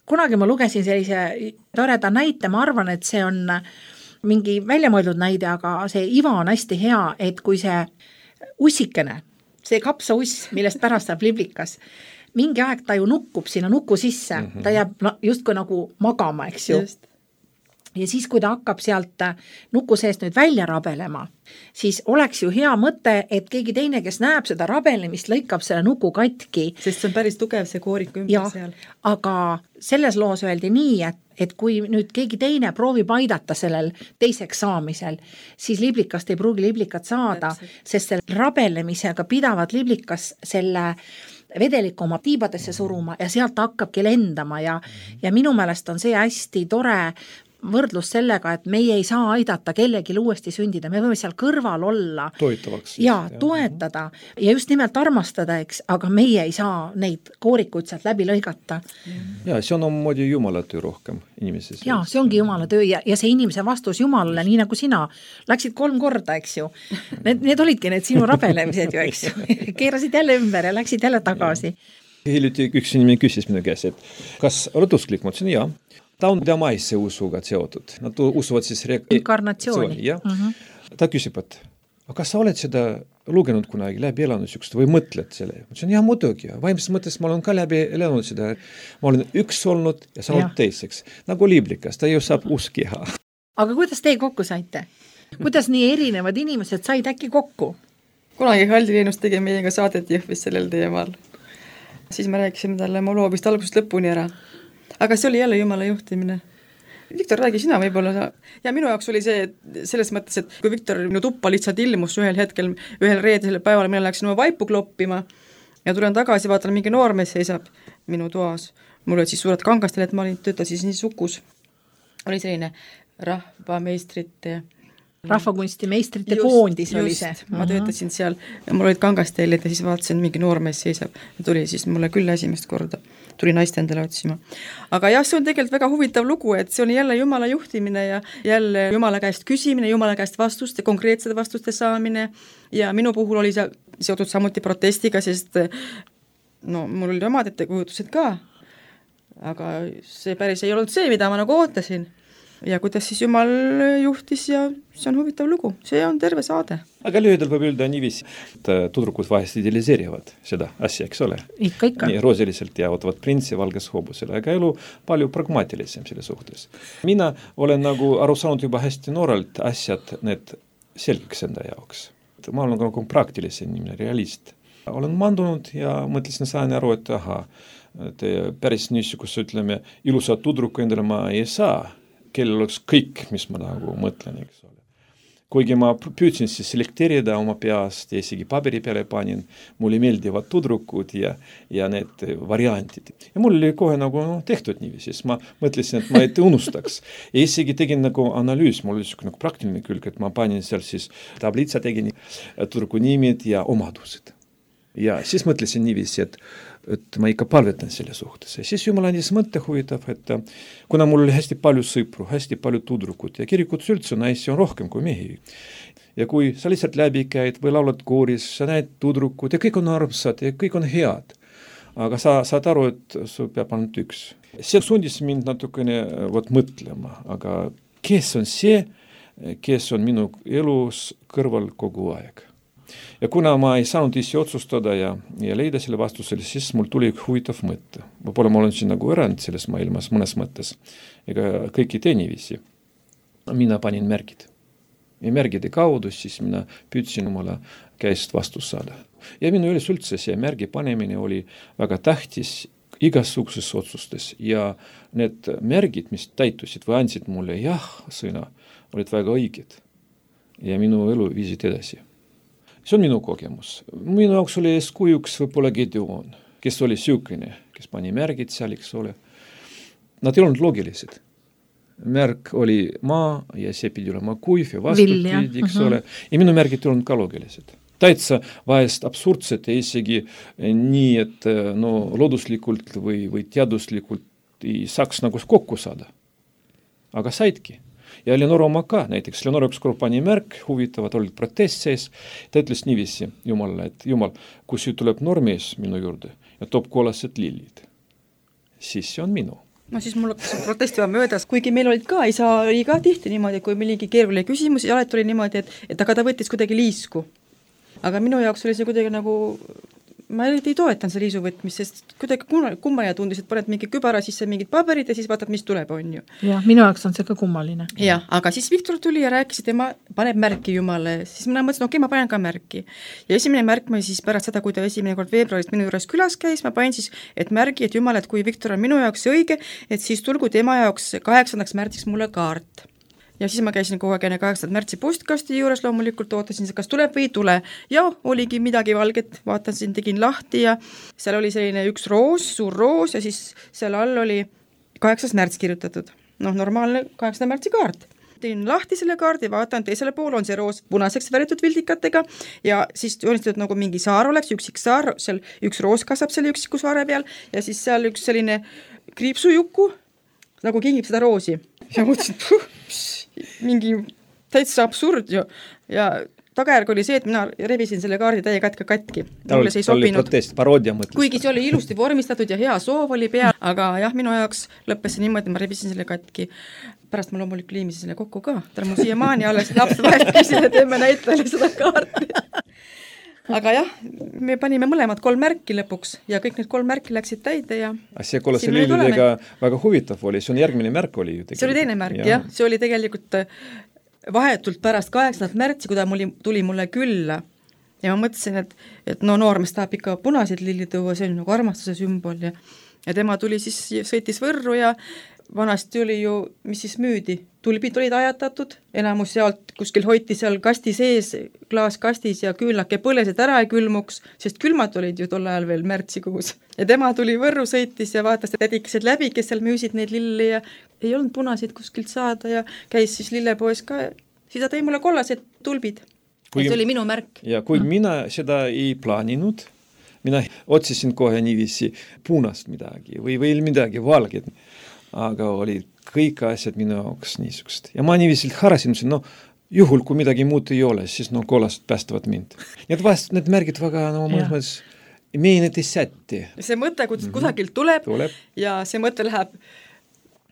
Kunagi ma lugesin sellise toreda näite, ma arvan, et see on mingi väljamõeldud näide, aga see iva on hästi hea, et kui see ussikene, see kapsauss, millest pärast saab liblikas, mingi aeg ta ju nukkub sinna nuku sisse, mm -hmm. ta jääb just kui nagu magama, eks ju. Just. ja siis, kui ta hakkab sealt nuku seest nüüd välja rabelema, siis oleks ju hea mõte, et keegi teine, kes näeb seda rabelemist, lõikab selle nuku katki. Sest see on päris tugev see koorik ümber ja, seal. Aga selles loos öeldi nii, et, et kui nüüd keegi teine proovib aidata sellel teiseks saamisel, siis liblikast ei pruugi liblikat saada, sest selle rabelemisega pidavad liblikas selle vedeliku oma tiibadesse suruma ja sealt hakkabki lendama ja, ja minu meelest on see hästi tore võrdlus sellega, et meie ei saa aidata kellelgi uuesti sündida, me võime seal kõrval olla. Toetavaks. Ja, toetada ja just nimelt armastada, eks, aga meie ei saa neid koorikuid sealt läbi lõigata. Ja, see on omamoodi Jumala töö rohkem inimesi. Ja, see ongi Jumala töö ja, ja see inimese vastus Jumalale, nii nagu sina, läksid kolm korda, eks ju. Need, need olidki need sinu rabelemised ju, eks ju. Keerasid jälle ümber ja läksid jälle tagasi. Hiljuti üks inimene küsis minu käes, et kas oled usklik? Ma ütlesin, jaa. Ta on damaisse usuga seotud. Nad usuvad siis re- inkarnatsiooni. Ja? Mm-hmm. Ta küsib, et kas sa oled seda lugenud kunagi läbi elanud sükst või mõtled selle? Ma ütlesin, jah, muidugi. Vaimses mõttes ma olen ka läbi elanud seda. Ma olen üks olnud ja sa oled teiseks. Nagu liblikas, ta ju saab uskiha. Aga kuidas teie kokku saite? Kuidas nii erinevad inimesed said äkki kokku? Kunagi Haldi Leenus tegi meiega saadet Jõhvis sellel teemal. Siis me rääkisime talle mu loo vist algusest lõpuni ära. Aga see oli jälle Jumala juhtimine. Viktor, räägi sina võib-olla. Ja minu jaoks oli see selles mõttes, et kui Viktor minu tuppa lihtsalt ilmus ühel hetkel, ühel reedesel päeval, mina läksin oma vaipu kloppima ja tulen tagasi, vaatan, mingi noormees seisab minu toas. Mul olid siis suured kangastel, et ma olin, töötasin siis Sukus. Oli selline rahvameistrite rahvakunsti meistrite just, koondis oli see. Ma töötasin seal, mul olid kangasteelid ja siis vaatasin, mingi noormees seisab ja tuli siis mulle küll esimest korda. Tuli naist endale otsima. Aga jah, see on tegelikult väga huvitav lugu, et see on jälle Jumala juhtimine ja jälle Jumala käest küsimine, Jumala käest vastuste, konkreetsete vastuste saamine ja minu puhul oli see seotud samuti protestiga, sest no mul oli omad ettekujutused ka, aga see päris ei olnud see, mida ma nagu ootasin. Ja kuidas siis Jumal juhtis ja see on huvitav lugu. See on terve saade. Aga lühidalt võib öelda niiviisi, et tudrukud vahest idealiseerivad seda asja, eks ole? Ikka, ikka. Nii roosiliselt ja ootavad printsi valges hoobusele, aga elu palju pragmaatilisem selle suhtes. Mina olen nagu aru saanud juba hästi noorelt asjad need selgeks enda jaoks. Ma olen nagu praktilisem inimene, realist. Olen mandunud ja mõtlesin saan aru, et aha, et päris niisugust, ütleme, ilusat tudruku endale ma ei saa, kellel oleks kõik, mis ma nagu mõtlen, eks ole. Kuigi ma püüdsin siis selekteerida oma peast ja isegi paberi peale panin, mulle meeldivad tudrukud ja, ja need variantid. Ja mul oli kohe nagu no, tehtud niiviisi, siis ma mõtlesin, et ma ei unustaks. Ja isegi tegin nagu analüüs, mul oli nagu praktiline külg, et ma panin seal siis tablitsa tegin tudruku nimid ja omadused. Ja siis mõtlesin niiviisi, et et ma ikka palvetan selle suhtes. Ja siis Jumal andis mõtte huvitav, et kuna mul oli hästi palju sõpru, hästi palju tudrukud ja kirikutus üldse naisi on rohkem kui mehi. Ja kui sa lihtsalt läbi käid või laulad kooris, sa näed tudrukud ja kõik on armsad ja kõik on head. Aga sa saad aru, et sul peab ainult üks. See sundis mind natukene võt mõtlema, aga kes on see, kes on minu elus kõrval kogu aeg? Ja kuna ma ei saanud ise otsustada ja, ja leida selle vastusele, siis mul tuli huvitav mõte. Võib-olla ma olen siin nagu erand selles maailmas mõnes mõttes. Ega kõiki teeniviisi. Mina panin märgid. Ja märgide kaudu siis mina püüdsin omale käest vastus saada. Ja minu üles üldse see märgi panemine oli väga tähtis igasuguses otsustes. Ja need märgid, mis täitusid või andsid mulle jah sõna, olid väga õiged. Ja minu elu viisid edasi. See on minu kogemus. Minu jaoks oli eeskujuks võib-olla Gedeon, kes oli süükene, kes pani märgid seal, eks ole. Nad ei olnud loogilised. Märk oli maa ja see pidi olema kuiv ja vastupidi, eks ole. Ja minu märgid ei olnud ka loogilised. Täitsa vahest absurdsed ja isegi nii, et no, looduslikult või, või teaduslikult ei saaks nagu kokku saada. Aga saidki. Ja Leonor oma ka, näiteks Leonor ükskord pani märk, huvitavad olid protest sees, ta ütles niiviisi Jumalale, et Jumal, kui see tuleb noormees minu juurde ja toob kollased lillid, siis see on minu. No siis mul hakkas protestiva möödas, kuigi meil olid ka, isa oli ka tihti niimoodi, kui millegi keeruline küsimus ja alati oli niimoodi, et, et aga ta võttis kuidagi liisku. Aga minu jaoks oli see kuidagi nagu ma ei toetan see liisuvõtmist, sest kuidagi kummaline tundis, et paned mingi kübara sisse mingid paberid ja siis vaatad, mis tuleb, on ju. jah, minu jaoks on see ka kummaline. jah, aga siis Viktor tuli ja rääkis, et tema paneb märki Jumale, siis mina mõtlesin, okei, okay, ma panen ka märki. Ja esimene märk ma siis pärast seda, kui ta esimene kord veebruarist minu juures külas käis, ma panin siis, et märgi, et Jumal, et kui Viktor on minu jaoks õige, et siis tulgu tema jaoks kaheksandaks märtsiks mulle kaart. Ja siis ma käisin kogu aeg enne kaheksanda märtsi postkasti juures, loomulikult ootasin, kas tuleb või ei tule. Ja oligi midagi valget, vaatasin, tegin lahti ja seal oli selline üks roos, suur roos ja siis seal all oli kaheksas märts kirjutatud. Noh, normaalne kaheksanda märtsi kaart. Tegin lahti selle kaardi, vaatan, teisele pool on see roos punaseks väritud vildikatega ja siis joonistatud nagu mingi saar oleks, üksik saar, seal üks roos kasvab selle üksiku saare peal ja siis seal üks selline kriipsujuku nagu kingib seda roosi. Ja mõtlesin, puh, mingi täitsa absurd ju ja tagajärg oli see, et mina rebisin selle kaardi täie katka katki. Tal oli protest, paroodia mõtles. Kuigi see oli ilusti vormistatud ja hea soov oli peal, aga jah, minu jaoks lõppes see niimoodi, ma rebisin selle katki. Pärast ma loomulikult liimisin selle kokku ka, tal mu siiamaani alles laps vahest küsin, et emme näitele seda kaarti. Aga jah, me panime mõlemad kolm märki lõpuks ja kõik need kolm märki läksid täide ja see kolla see lillidega väga huvitav oli, see on järgmine märk oli ju tegelikult. See oli teine märk, jah, see oli tegelikult vahetult pärast kaheksandat märtsi, kui ta muli, tuli mulle külla ja ma mõtlesin, et, et no noormees tahab ikka punaseid lilli tuua, see on nagu armastuse sümbol ja, ja tema tuli siis, sõitis Võrru ja vanasti oli ju, mis siis müüdi, tulbid olid ajatatud, enamus sealt kuskil hoiti seal kasti sees, klaaskastis ja küünlake põlesid ära ei külmuks, sest külmad olid ju tol ajal veel märtsikuus. Ja tema tuli Võrru sõitis ja vaatas tädikesed läbi, kes seal müüsid neid lilli ja ei olnud punasid kuskilt saada ja käis siis lillepoes ka, siis ta tõi mulle kollased tulbid. Kui, ja see oli minu märk. Ja kui no. mina seda ei plaaninud, mina otsisin kohe niiviisi punast midagi või veel midagi valget, aga olid kõik asjad minu jaoks niisugust. Ja ma niiviselt harasin, no juhul, kui midagi muud ei ole, siis no kollast päästavad mind. Need vast, need märgid väga, no mõnes meie need ei sätti. See mõte kuskilt mm-hmm. tuleb, tuleb ja see mõte läheb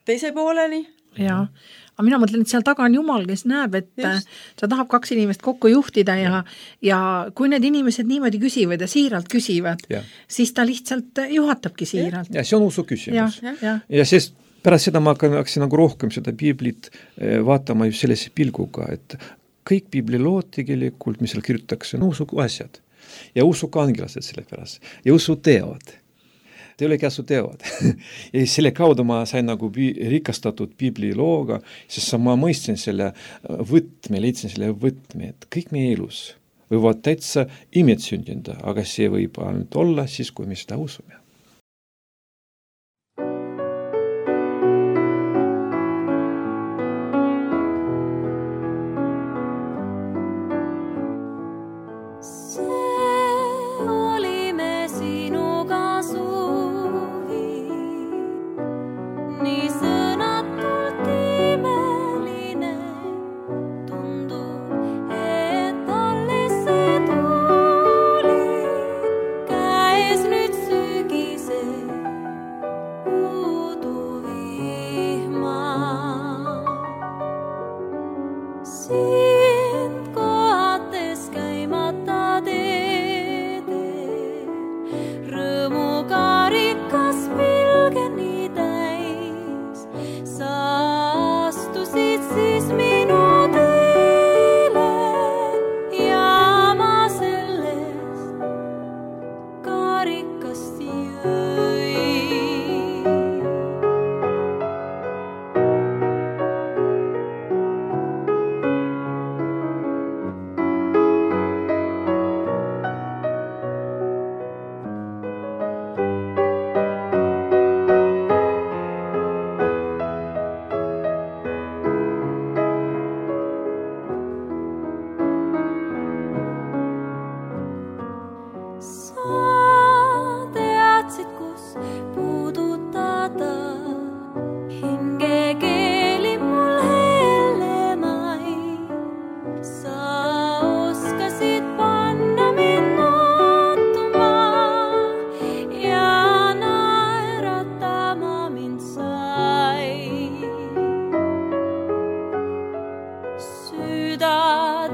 teise pooleni. Jaa, aga mina mõtlen, et seal taga on Jumal, kes näeb, et Just. ta tahab kaks inimest kokku juhtida ja, ja kui need inimesed niimoodi küsivad ja siiralt küsivad, ja. siis ta lihtsalt juhatabki siiralt. Ja, ja see on usu küsimus. Ja, ja. ja sest pärast seda ma hakkasin nagu rohkem seda piiblit vaatama just sellise pilguga, et kõik piiblilood tegelikult, mis seal kirjutatakse, on usu asjad. Ja usu kangelased selle pärast. Ja usu teod. Te olegi asu teod. ja selle kaudu ma sain nagu rikastatud piiblilooga, sest ma mõistsin selle võtme, leidsin selle võtme, et kõik meie elus võivad täitsa imed sündida, aga see võib ainult olla siis, kui me seda usume.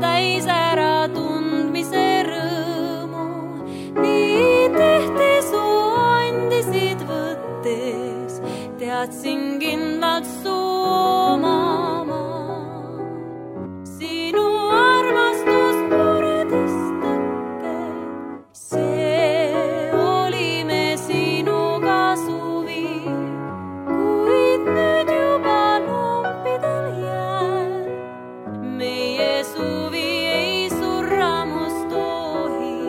täis ära tundmise rõõmu, nii teadsin kindlalt suumama. Sinu armastus muredestake, see oli me sinuga suvi, kuid nüüd juba lompidel jääb. Meie suvi ei surramust tohi,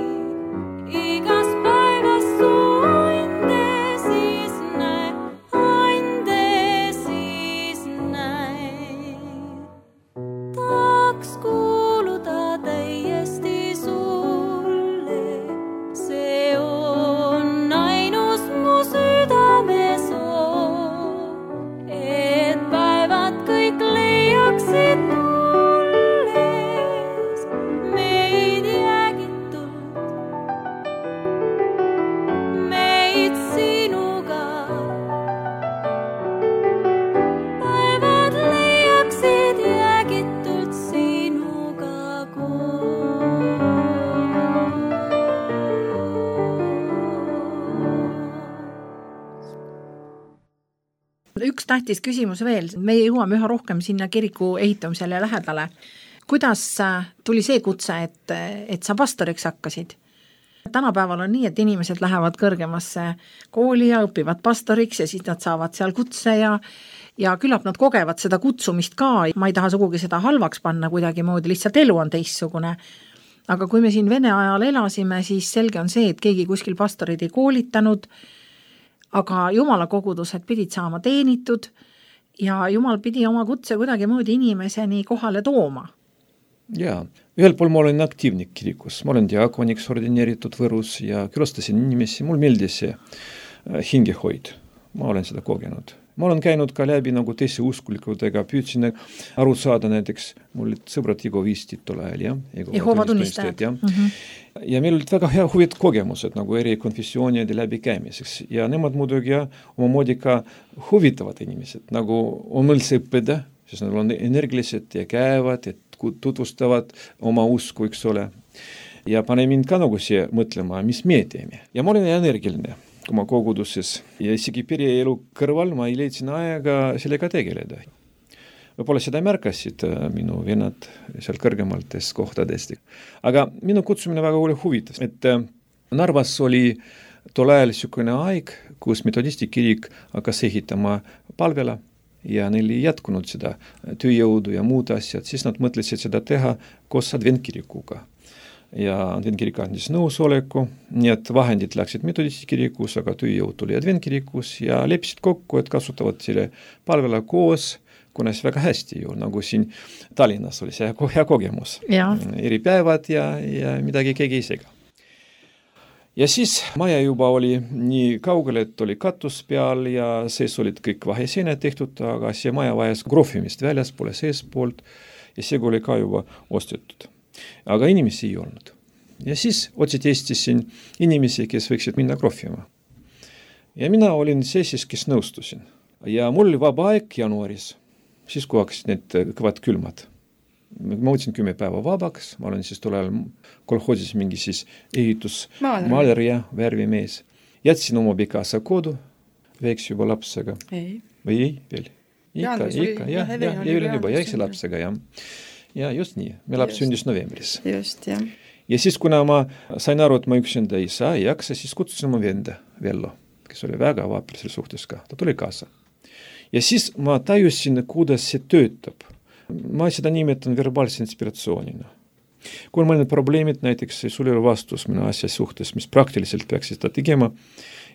igas päevas su ande siis näe, ande siis näe. Tahaks kuuluda täiesti sulle, see on ainus mu südame soov, et päevad kõik leiaksid tulles meid jäägitult, meid sinuga. Päevad leiaksid jäägitult sinuga koos. Üks tähtis küsimus veel, meie jõuame üha rohkem sinna kiriku ehitamisele lähedale. Kuidas äh, tuli see kutse, et, et sa pastoriks hakkasid? Tänapäeval on nii, et inimesed lähevad kõrgemasse kooli ja õpivad pastoriks ja siis nad saavad seal kutse ja, ja küllap nad kogevad seda kutsumist ka. Ma ei taha sugugi seda halvaks panna kuidagi moodi, lihtsalt elu on teistsugune. Aga kui me siin Vene ajal elasime, siis selge on see, et keegi kuskil pastorid ei koolitanud, aga Jumala kogudused pidid saama teenitud ja Jumal pidi oma kutse kuidagi moodi inimeseni kohale tooma. Jaa, ühel pool ma olen aktiivnik kirikus, ma olen diakoniks ordineeritud Võrus ja külastasin inimesi, mul meeldis see hingehoid, ma olen seda kogenud. Ma olen käinud ka läbi nagu teise uskulikudega, püüdsin aru saada näiteks, mul olid sõbrad Igo Viistit tol ajal, jah? Jehova tunnistajad. Ja. Mm-hmm. ja meil olid väga hea huvit kogemused nagu eri konfessioonide läbi käimiseks ja nemad muidugi ja oma moodi ka huvitavad inimesed, nagu on üldse õppida, sest nad on energilised ja käivad, et tutvustavad oma usku, eks ole. Ja pane mind ka nagu siia mõtlema, mis me teeme. Ja ma olen energiline oma koguduses ja isegi perieelu kõrval ma ei leidsin aega sellega tegeleda. Võib-olla seda märkasid minu vennad seal kõrgemaltes kohtadest. Aga minu kutsumine väga oli huvitav, et Narvas oli tol ajal niisugune aeg, kus metodisti kirik hakkas ehitama palvela ja neil ei jätkunud seda tööjõudu ja muud asjad, siis nad mõtlesid seda teha koos adventkirikuga. Ja adventkirik andis nõusoleku, nii et vahendid läksid metodisti kirikus, aga tööjõud tuli adventkirikus ja leppisid kokku, et kasutavad selle palvela koos, kuna see väga hästi ju, nagu siin Tallinnas oli see hea kogemus. Ja. Eri päevad ja, ja midagi keegi ei sega. Ja siis maja juba oli nii kaugele, et oli katus peal ja sees olid kõik vaheseened tehtud, aga see maja vajas krohvimist väljaspoole seespoolt ja see oli ka juba ostetud. Aga inimesi ei olnud. Ja siis otsid Eestisin inimesi, kes võiksid minna krohvima. Ja mina olin see siis, kes nõustusin. Ja mul oli vaba aeg jaanuaris, siis kui hakkasid need kõvad külmad. Ma võtsin kümme päeva vabaks, ma olen siis tol ajal kolhoosis mingi siis ehitus maaler ja värvimees. Jätsin oma pikasa kodu, veeks juba lapsega. Ei. Või ei veel? Ikka, ikka, jah, jah, Evelin juba jäksi lapsega, jah. Ja just nii, me laps sündis novembris. Just, jah. Ja siis, kuna ma sain aru, et ma üksinda ei saa, ei jaksa, siis kutsusin oma venda Vello, kes oli väga vaaper selle suhtes ka. Ta tuli kaasa. Ja siis ma tajusin, kuidas see töötab. Ma seda nimetan verbaalse inspiratsioonina. Kui on mõned probleemid, näiteks sul ei ole vastus minu asja suhtes, mis praktiliselt peaks seda tegema,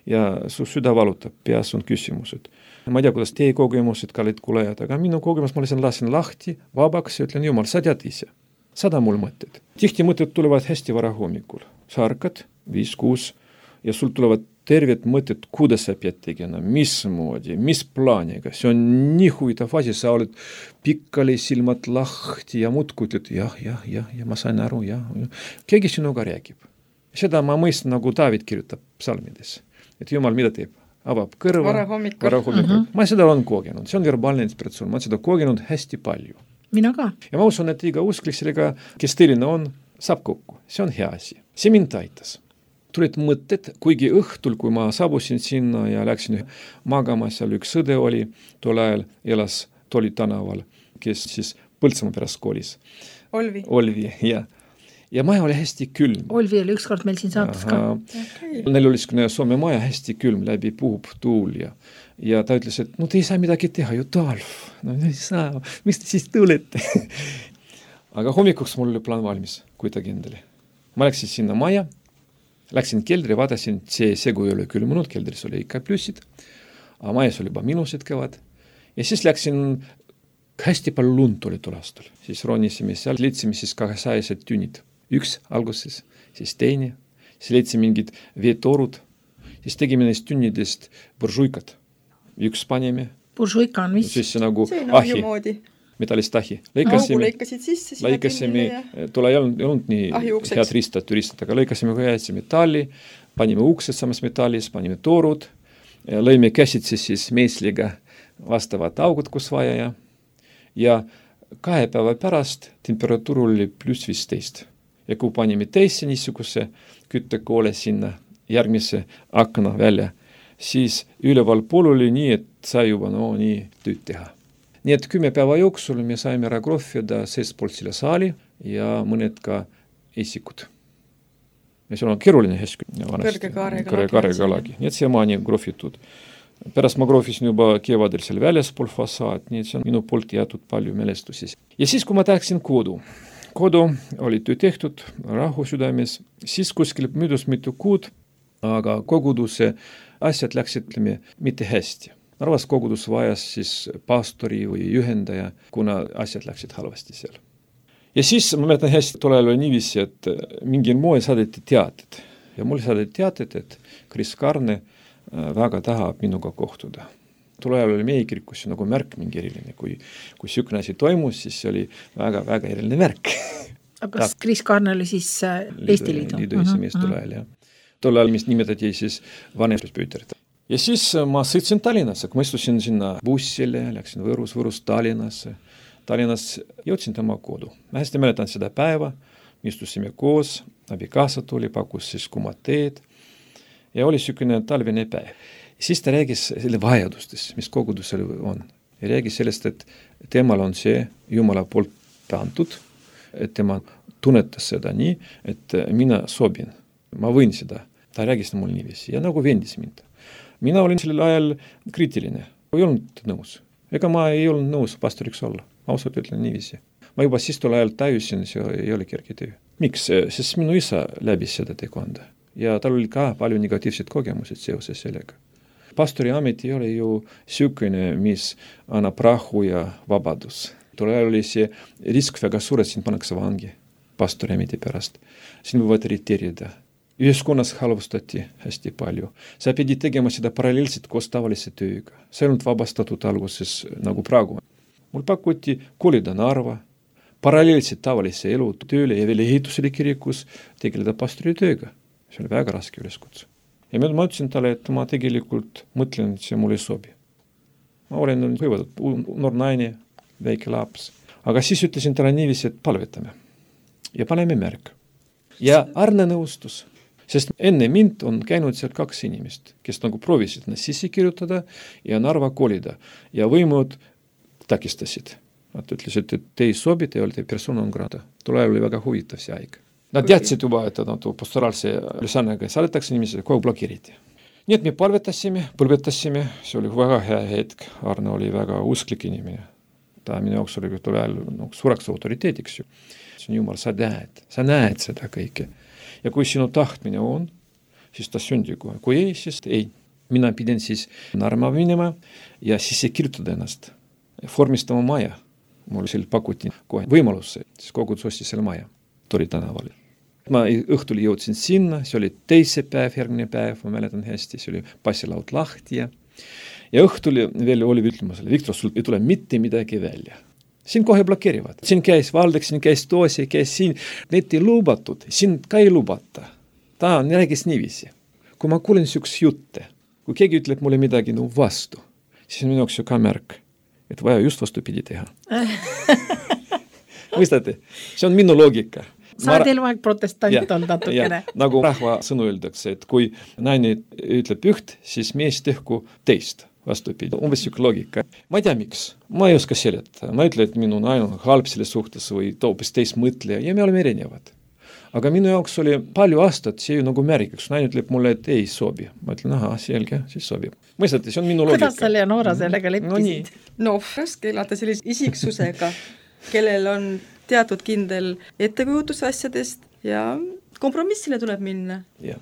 ja su süda valutab, peas on küsimused. Ma ei tea, kuidas teie kogemused, kallid kuulajad, aga minu kogemus ma lihtsalt lasin lahti, vabaks ja ütlen, Jumal, sa tead ise. Sada mul mõtted. Tihti mõtted tulevad hästi vara hommikul. Sa arkad, viis, kuus, ja sul tulevad terved mõtted, kuidas sa pead tegema, mismoodi, mis plaaniga. See on nii huvitav asi, sa oled pikkali silmad lahti ja muudku ütled, jah, jah, jah, ja ma sain aru, jah, jah. Keegi sinuga räägib. Seda ma mõistan, nagu David kirjutab psalmides. Et Jumal mida teeb? Avab kõrva, vara hommikul. Vara hommikul. Uh-huh. Ma seda olen kogenud, see on verbaalne inspiratsioon, ma olen seda kogenud hästi palju. Mina ka. Ja ma usun, et iga usklik sellega, kes tõeline on, saab kokku. See on hea asi. See mind aitas. tulid mõtted, kuigi õhtul, kui ma saabusin sinna ja läksin magama, seal üks õde oli, tol ajal elas Toli tänaval, kes siis Põltsamaa pärast koolis. Olvi. Olvi, jah. Ja maja oli hästi külm. Olvi oli ükskord meil siin saates ka. Okay. Neil oli skone Soome maja hästi külm, läbi puhub tuul ja, ja ta ütles, et no te ei saa midagi teha, ju talv. No ei saa, miks te siis tulete? Aga hommikuks mul oli plaan valmis, kuidagi endale. Ma läksin sinna maja, läksin keldri, vaatasin, see segu ei ole külmunud, keldris oli ikka plussid, aga majas oli juba minused kõvad. Ja siis läksin, hästi palju lund oli tol aastal. Siis ronisime seal, leidsime siis kahesajased tünnid. Üks alguses, siis teine, siis leidsime mingid veetorud, siis tegime neist tünnidest buržuikad. Üks panime. Buržuika on mis? Siis see nagu see on ahi, ahjumoodi. Metallist ahi. Lõikasime, lõikasid sisse, lõikasime, tule ei olnud, ei olnud nii head ristad, türistad, aga lõikasime kõjätsi metalli, panime uksed samas metallis, panime toorud, lõime käsitsi siis meesliga vastavad augud, kus vaja ja, ja kahe päeva pärast temperatuur oli pluss viisteist. Ja kui panime teisse niisuguse küttekoole sinna järgmise akna välja, siis üleval pool oli nii, et sai juba no nii tööd teha. Nii et kümme päeva jooksul me saime ära krohvida seestpoolt selle saali ja mõned ka esikud. Ja seal on keeruline hästi. Kõrge kaarega lagi. Nii et see maani krohvitud. Pärast ma krohvisin juba kevadel seal väljaspool fassaad, nii et see on minu poolt jäetud palju mälestusi. Ja siis, kui ma tahaksin kodu, kodu oli töö tehtud rahu südames, siis kuskil möödus mitu kuud, aga koguduse asjad läksid, ütleme, mitte hästi. Narvas kogudus vajas siis pastori või juhendaja, kuna asjad läksid halvasti seal. Ja siis ma mäletan hästi, tol ajal oli niiviisi, et mingil moel saadeti teated. Ja mul saadeti teated, et Kris Karne väga tahab minuga kohtuda. Tol ajal oli meie kirikus nagu märk mingi eriline. Kui, kui sükne asi toimus, siis see oli väga, väga eriline märk. Aga kas Kris Karne oli siis Eesti Liidu? Liidu esimees tol ajal, jah. Tol ajal, mis nimetati siis vanemluspüüterit. Ja siis ma sõitsin Tallinnasse, kui ma istusin sinna bussile, läksin Võrus, Võrus Tallinnasse. Tallinnas jõudsin tema kodu. Ma hästi mäletan seda päeva, me istusime koos, abikaasa tuli, pakkus siis kumad teed ja oli sükene talvine päev. Siis ta räägis selle vajadustes, mis kogudusel on. Ja räägis sellest, et temal on see Jumala poolt antud, et tema tunnetas seda nii, et mina sobin, ma võin seda. Ta räägis mul niiviisi ja nagu vendis mind. Mina olin sellel ajal kriitiline, ei olnud nõus. Ega ma ei olnud nõus pastoriks olla, ausalt ütlen niiviisi. Ma juba siis tol ajal täiusin, see ei ole kerge töö. Miks? Sest minu isa läbis seda tekonda ja tal oli ka palju negatiivsed kogemused seoses sellega. Pastori amet ei ole ju sükene, mis annab rahu ja vabadus. Tol ajal oli see risk väga suur, et sind pannakse vangi pastori ameti pärast. Siin võivad irriteerida. Ühiskonnas halvustati hästi palju. Sa pidi tegema seda paralleelselt koos tavalise tööga. See ei olnud vabastatud alguses nagu praegu. Mul pakuti kolida Narva, paralleelselt tavalise elu tööle ja veel ehitusele kirikus tegeleda pastori tööga. See oli väga raske üleskutse. Ja ma ütlesin talle, et ma tegelikult mõtlen, et see mulle ei sobi. Ma olen hõivatud noor naine, väike laps. Aga siis ütlesin talle niiviisi, et palvetame. Ja paneme märk. Ja Arne nõustus. Sest enne mind on käinud seal kaks inimest, kes nagu proovisid nad sisse kirjutada ja Narva kolida. Ja võimud takistasid. Nad ütlesid, et te ei sobi, te olete persona on grada. Tol ajal oli väga huvitav see aeg. Nad teadsid juba, et nad pastoraalse ülesannega saadetakse inimesed, kogu blokeeriti. Nii et me palvetasime, põlvetasime, see oli väga hea hetk. Arne oli väga usklik inimene. Ta minu jaoks oli tol ajal no, suureks autoriteediks ju. See on Jumal, sa näed, sa näed seda kõike. Ja kui sinu tahtmine on, siis ta sündi kohe. Kui ei, siis ei. Mina pidin siis Narva minema ja siis ei kirjutada ennast. Formistama maja. Mul seal pakuti kohe võimalus, siis kogudus ostis selle maja. Tori tänaval. Ma õhtul jõudsin sinna, see oli teise päev, järgmine päev, ma mäletan hästi, see oli passilaud lahti ja, ja õhtul veel oli ütlemusele, Viktor, sul ei tule mitte midagi välja. Siin kohe blokeerivad. Siin käis Valdek, siin käis Toosi, käis siin. Need ei lubatud, siin ka ei lubata. Ta räägis niiviisi. Kui ma kuulen süks jutte, kui keegi ütleb mulle midagi no vastu, siis minu jaoks ju ka märk, et vaja just vastupidi teha. Mõistate? See on minu loogika. sa oled eluaeg protestant olnud natukene. Nagu rahva sõnu öeldakse, et kui naine ütleb üht, siis mees tehku teist. Vastupidi, umbes siuke loogika. Ma ei tea miks, ma ei oska seletada. Ma ütlen, et minu naine on halb selle suhtes või toopis teist mõtleja ja me oleme erinevad. Aga minu jaoks oli palju aastat see ju nagu märgiks. Naine ütleb mulle, et ei sobi. Ma ütlen, aha, selge, siis sobib. Mõistati, see on minu loogika. Kuidas sa, Leonora, sellega leppisid? No, no raske elada sellise isiksusega, kellel on teatud kindel ettekujutus asjadest ja kompromissile tuleb minna. Ja.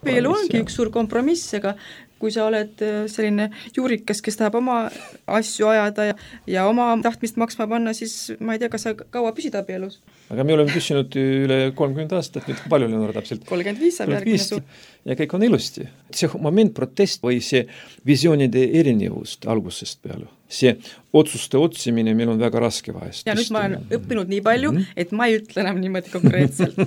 Veel ongi üks suur kompromiss, aga kui sa oled selline juurikas, kes tahab oma asju ajada ja, ja oma tahtmist maksma panna, siis ma ei tea, kas sa kaua püsida abielus. Aga me oleme püsinud üle kolmkümmend aastat, nüüd palju Leonora täpselt? kolmkümmend viis saab järgmine su. Ja kõik on ilusti. See moment protest või see visioonide erinevust algusest peale. See otsuste otsimine meil on väga raske vahest. Ja nüüd ma olen õppinud nii palju, mm-hmm. et ma ei ütle enam niimoodi konkreetselt.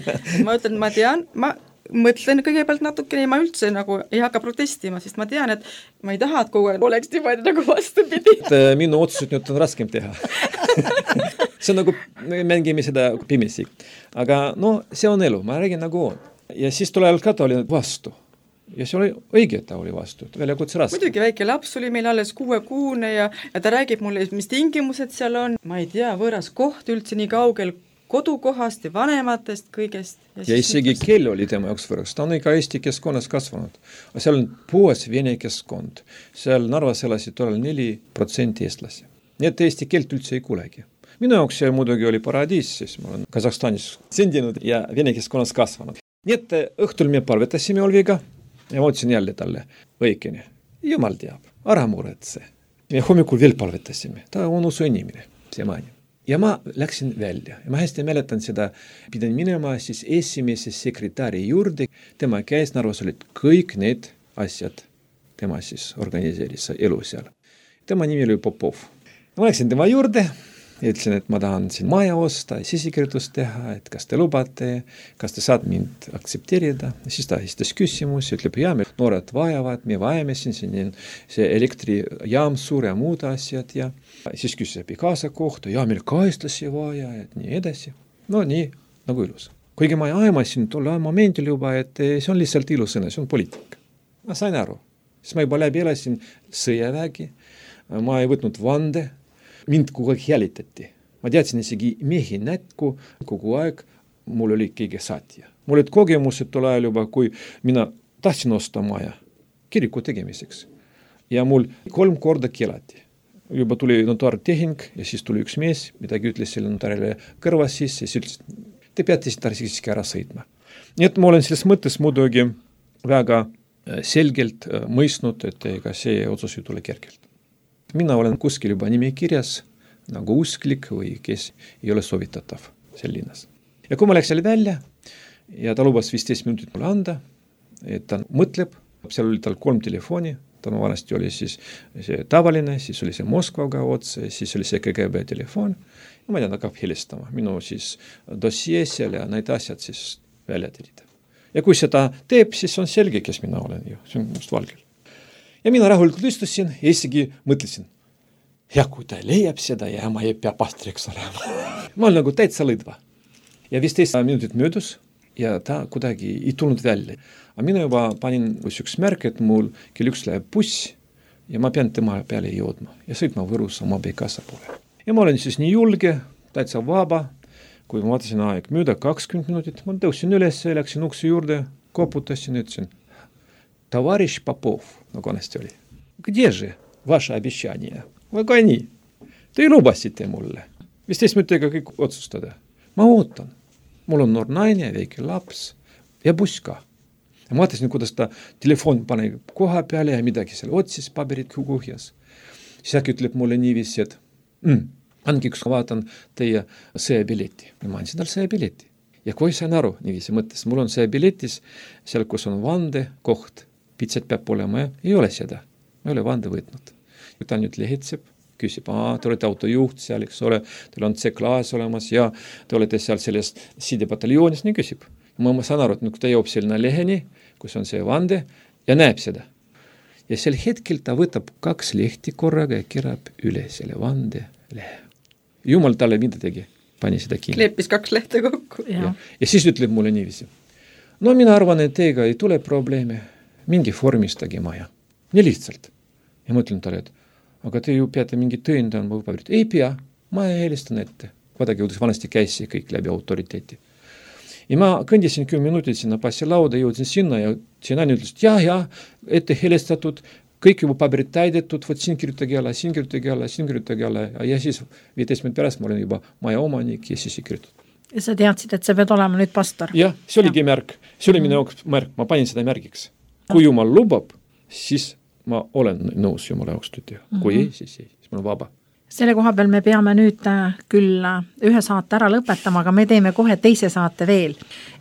ma ütlen, ma tean, ma mõtlen kõigepealt natukene ja ma üldse nagu ei hakka protestima, sest ma tean, et ma ei taha, et kogu aeg oleks niimoodi nagu vastupidi. Minu otsused nüüd on raskem teha. see on nagu, me mängime seda pimesi. Aga no, see on elu, ma räägin nagu on. Ja siis tule ajal ka ta oli vastu. Ja see oli õige, ta oli vastu. Väljakutse raske. Muidugi väike laps oli meil alles kuuekuune ja, ja ta räägib mulle, mis tingimused seal on. Ma ei tea, võõras koht üldse nii kaugel kodukohast ja vanematest kõigest. Ja, ja isegi mõtles... keel oli tema jaoks võraks. Ta on ikka Eesti keskkonnas kasvanud. Aga seal on puhas vene keskkond. Seal Narvas elasid tollal neli protsenti eestlasi. Nii et Eesti keelt üldse ei kuulegi. Minu jaoks see muidugi oli paradiis, siis ma olen Kasahstanis sündinud ja vene keskkonnas kasvanud. Nii et õhtul me palvetasime Olviga ja ma ütlesin jälle talle õigeni. Jumal teab, ära muretse. Me hommikul veel palvetasime. Ta on usu inimene, see maani. Ja ma läksin välja. Ja ma hästi mäletan seda, pidan minema siis esimese sekretäri juurde. Tema käes Narvas olid kõik need asjad. Tema siis organiseeris elu seal. Tema nimi oli Popov. Ma läksin tema juurde ja ütlesin, et ma tahan siin maja osta, sisikirjutust teha, et kas te lubate, kas te saad mind aktsepteerida. Ja siis ta esitas küsimus ja ütleb, ja me noored vajavad, me vajame siin, siin see elektrijaam suur ja muud asjad ja siis küsis kaasa kohta, ja meil kaestusi vaja, et nii edasi. No nii, nagu ilus. Kuigi ma aimasin tolle momendil juba, et see on lihtsalt ilusõna, see on poliitika. Ma sain aru. Siis ma juba läbi elasin sõjavägi, ma ei võtnud vande, mind kogu aeg jälitati. Ma teadsin isegi mehi nätku, kogu aeg mul oli keegi saatja. Mul olid kogemused tol ajal juba, kui mina tahtsin osta maja kiriku tegemiseks. Ja mul kolm korda keelati. Juba tuli notaartehing ja siis tuli üks mees, midagi ütles selle notaarile kõrvas sisse ja siis ütles, te peate siiski ära sõitma. Nii et ma olen selles mõttes muidugi väga selgelt mõistnud, et ega see otsus ei tule kergelt. Mina olen kuskil juba nimekirjas nagu usklik või kes ei ole soovitatav seal linnas. Ja kui ma läksin välja ja ta lubas viisteist minutit mulle anda, et ta mõtleb, seal oli tal kolm telefoni, ta vanasti oli siis see tavaline, siis oli see Moskvaga otse, siis oli see K G B telefon ja ma tean, hakkab helistama. Minu siis dossier seal ja need asjad siis välja terida. Ja kui seda teeb, siis on selge, kes mina olen ju, see on must valgel. Ja mina rahulikult istusin ja isegi mõtlesin, ja kui ta leiab seda ja ma ei pea pastriks olema. ma olen nagu täitsa lõdva. Ja viisteist minutit möödus ja ta kuidagi ei tulnud välja. Aga mina juba panin üks märk, et mul kell üks läheb buss ja ma pean tema peale jõudma ja sõitma Võrus oma abikaasa poole. Ja ma olen siis nii julge, täitsa vaba, kui ma vaatasin aeg mööda kakskümmend minutit, ma tõusin üles, läksin ukse juurde, koputasin ja ütlesin, товарищ Попов, nagu annesti oli. Где же ваше обещание? Väga nii. Te lubasite mulle. viisteist minutiga kõik otsustada. Ma ootan. Mul on noor naine, väike laps ja buss ka. Ja ma vaatasin, kuidas ta telefon pane koha peale ja midagi seal otsis, paberid kuhjas. Siis äkki ütleb mulle niiviisi, et mm, andke üks vaatan teie sõjabileti. Ja ma andsin tal sõjabileti. Ja kui sain aru, niiviisi mõttes, mul on sõjabiletis, seal kus on vande koht, pitsed peab olema ja ei ole seda. Ma ei ole vande võtnud. Ta nüüd lehetseb, küsib, aa, te olete autojuht seal, eks ole, teil on C-klaas olemas ja te olete seal selles sidepataljoonis, nii küsib. Ma, ma saan aru, et nüüd ta jõuab selline leheni, kus on see vande ja näeb seda. Ja sel hetkel ta võtab kaks lehti korraga ja kirab üle selle vande lehe. Jumal talle mida tegi. pani seda kinni. Kleepis kaks lehte kokku. Ja. ja siis ütleb mulle niiviisi. No mina arvan, et teiega ei tule probleeme. Mingi vormistage maja. Nii lihtsalt. Ja mõtlen talle, et aga te ju peate mingi tõendama või paberit. Ei pea, ma helistan ette. Vaadagi, kuidas vanasti käis see kõik läbi autoriteeti. Ja ma kõndisin kümme minutit sinna passi lauda, jõudsin sinna ja siin aine ütles, et jah, jah, ette helistatud, kõik juba paberid täidetud, võt siin kirjutage alla, siin kirjutage alla, siin kirjutage alla ja siis viiteist minut pärast ma olen juba maja omanik ja siis ei kirjutatud. Ja sa teadsid, et sa pead olema nüüd pastor? Jah, see oligi ja. märk. See oli mm-hmm. minu jaoks märk, ma panin seda märgiks. Kui Jumal lubab, siis ma olen nõus Jumala jaoks tööd teha. Kui mm-hmm. ei, siis ei, siis ma olen vaba. Selle koha peal me peame nüüd küll ühe saate ära lõpetama, aga me teeme kohe teise saate veel.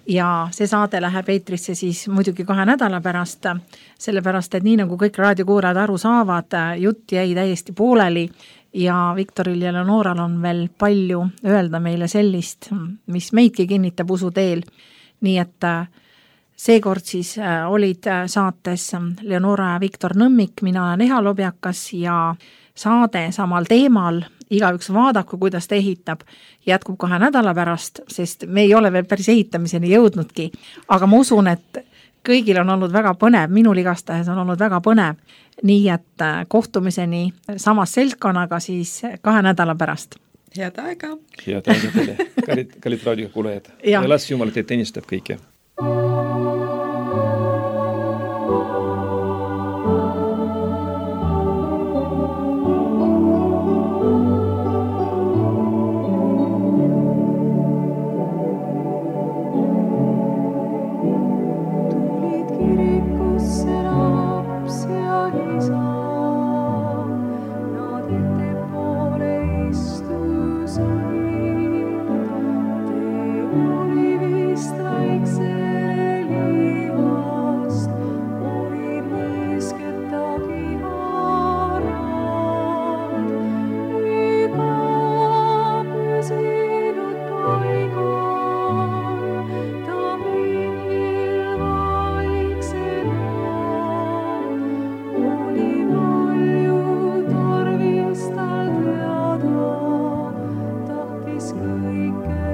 Ja see saade läheb eetrisse siis muidugi kahe nädala pärast, sellepärast, et nii nagu kõik raadiokuulajad aru saavad, jutt jäi täiesti pooleli ja Viktoril ja Leonoral on veel palju öelda meile sellist, mis meidki kinnitab usu teel. Nii et seekord siis olid saates Leonora ja Viktor Nõmmik, mina olen Eha Lobjakas ja saade samal teemal, igaüks vaadaku, kuidas ta ehitab, jätkub kahe nädala pärast, sest me ei ole veel päris ehitamiseni jõudnudki, aga ma usun, et kõigil on olnud väga põnev, minul igastahes on olnud väga põnev, nii et kohtumiseni samas seltkonnaga siis kahe nädala pärast. Head aega! Head aega teile, kallid, kallid raadiokuulajad. Ja las Jumal teid teenistab kõike. Tahtis kõike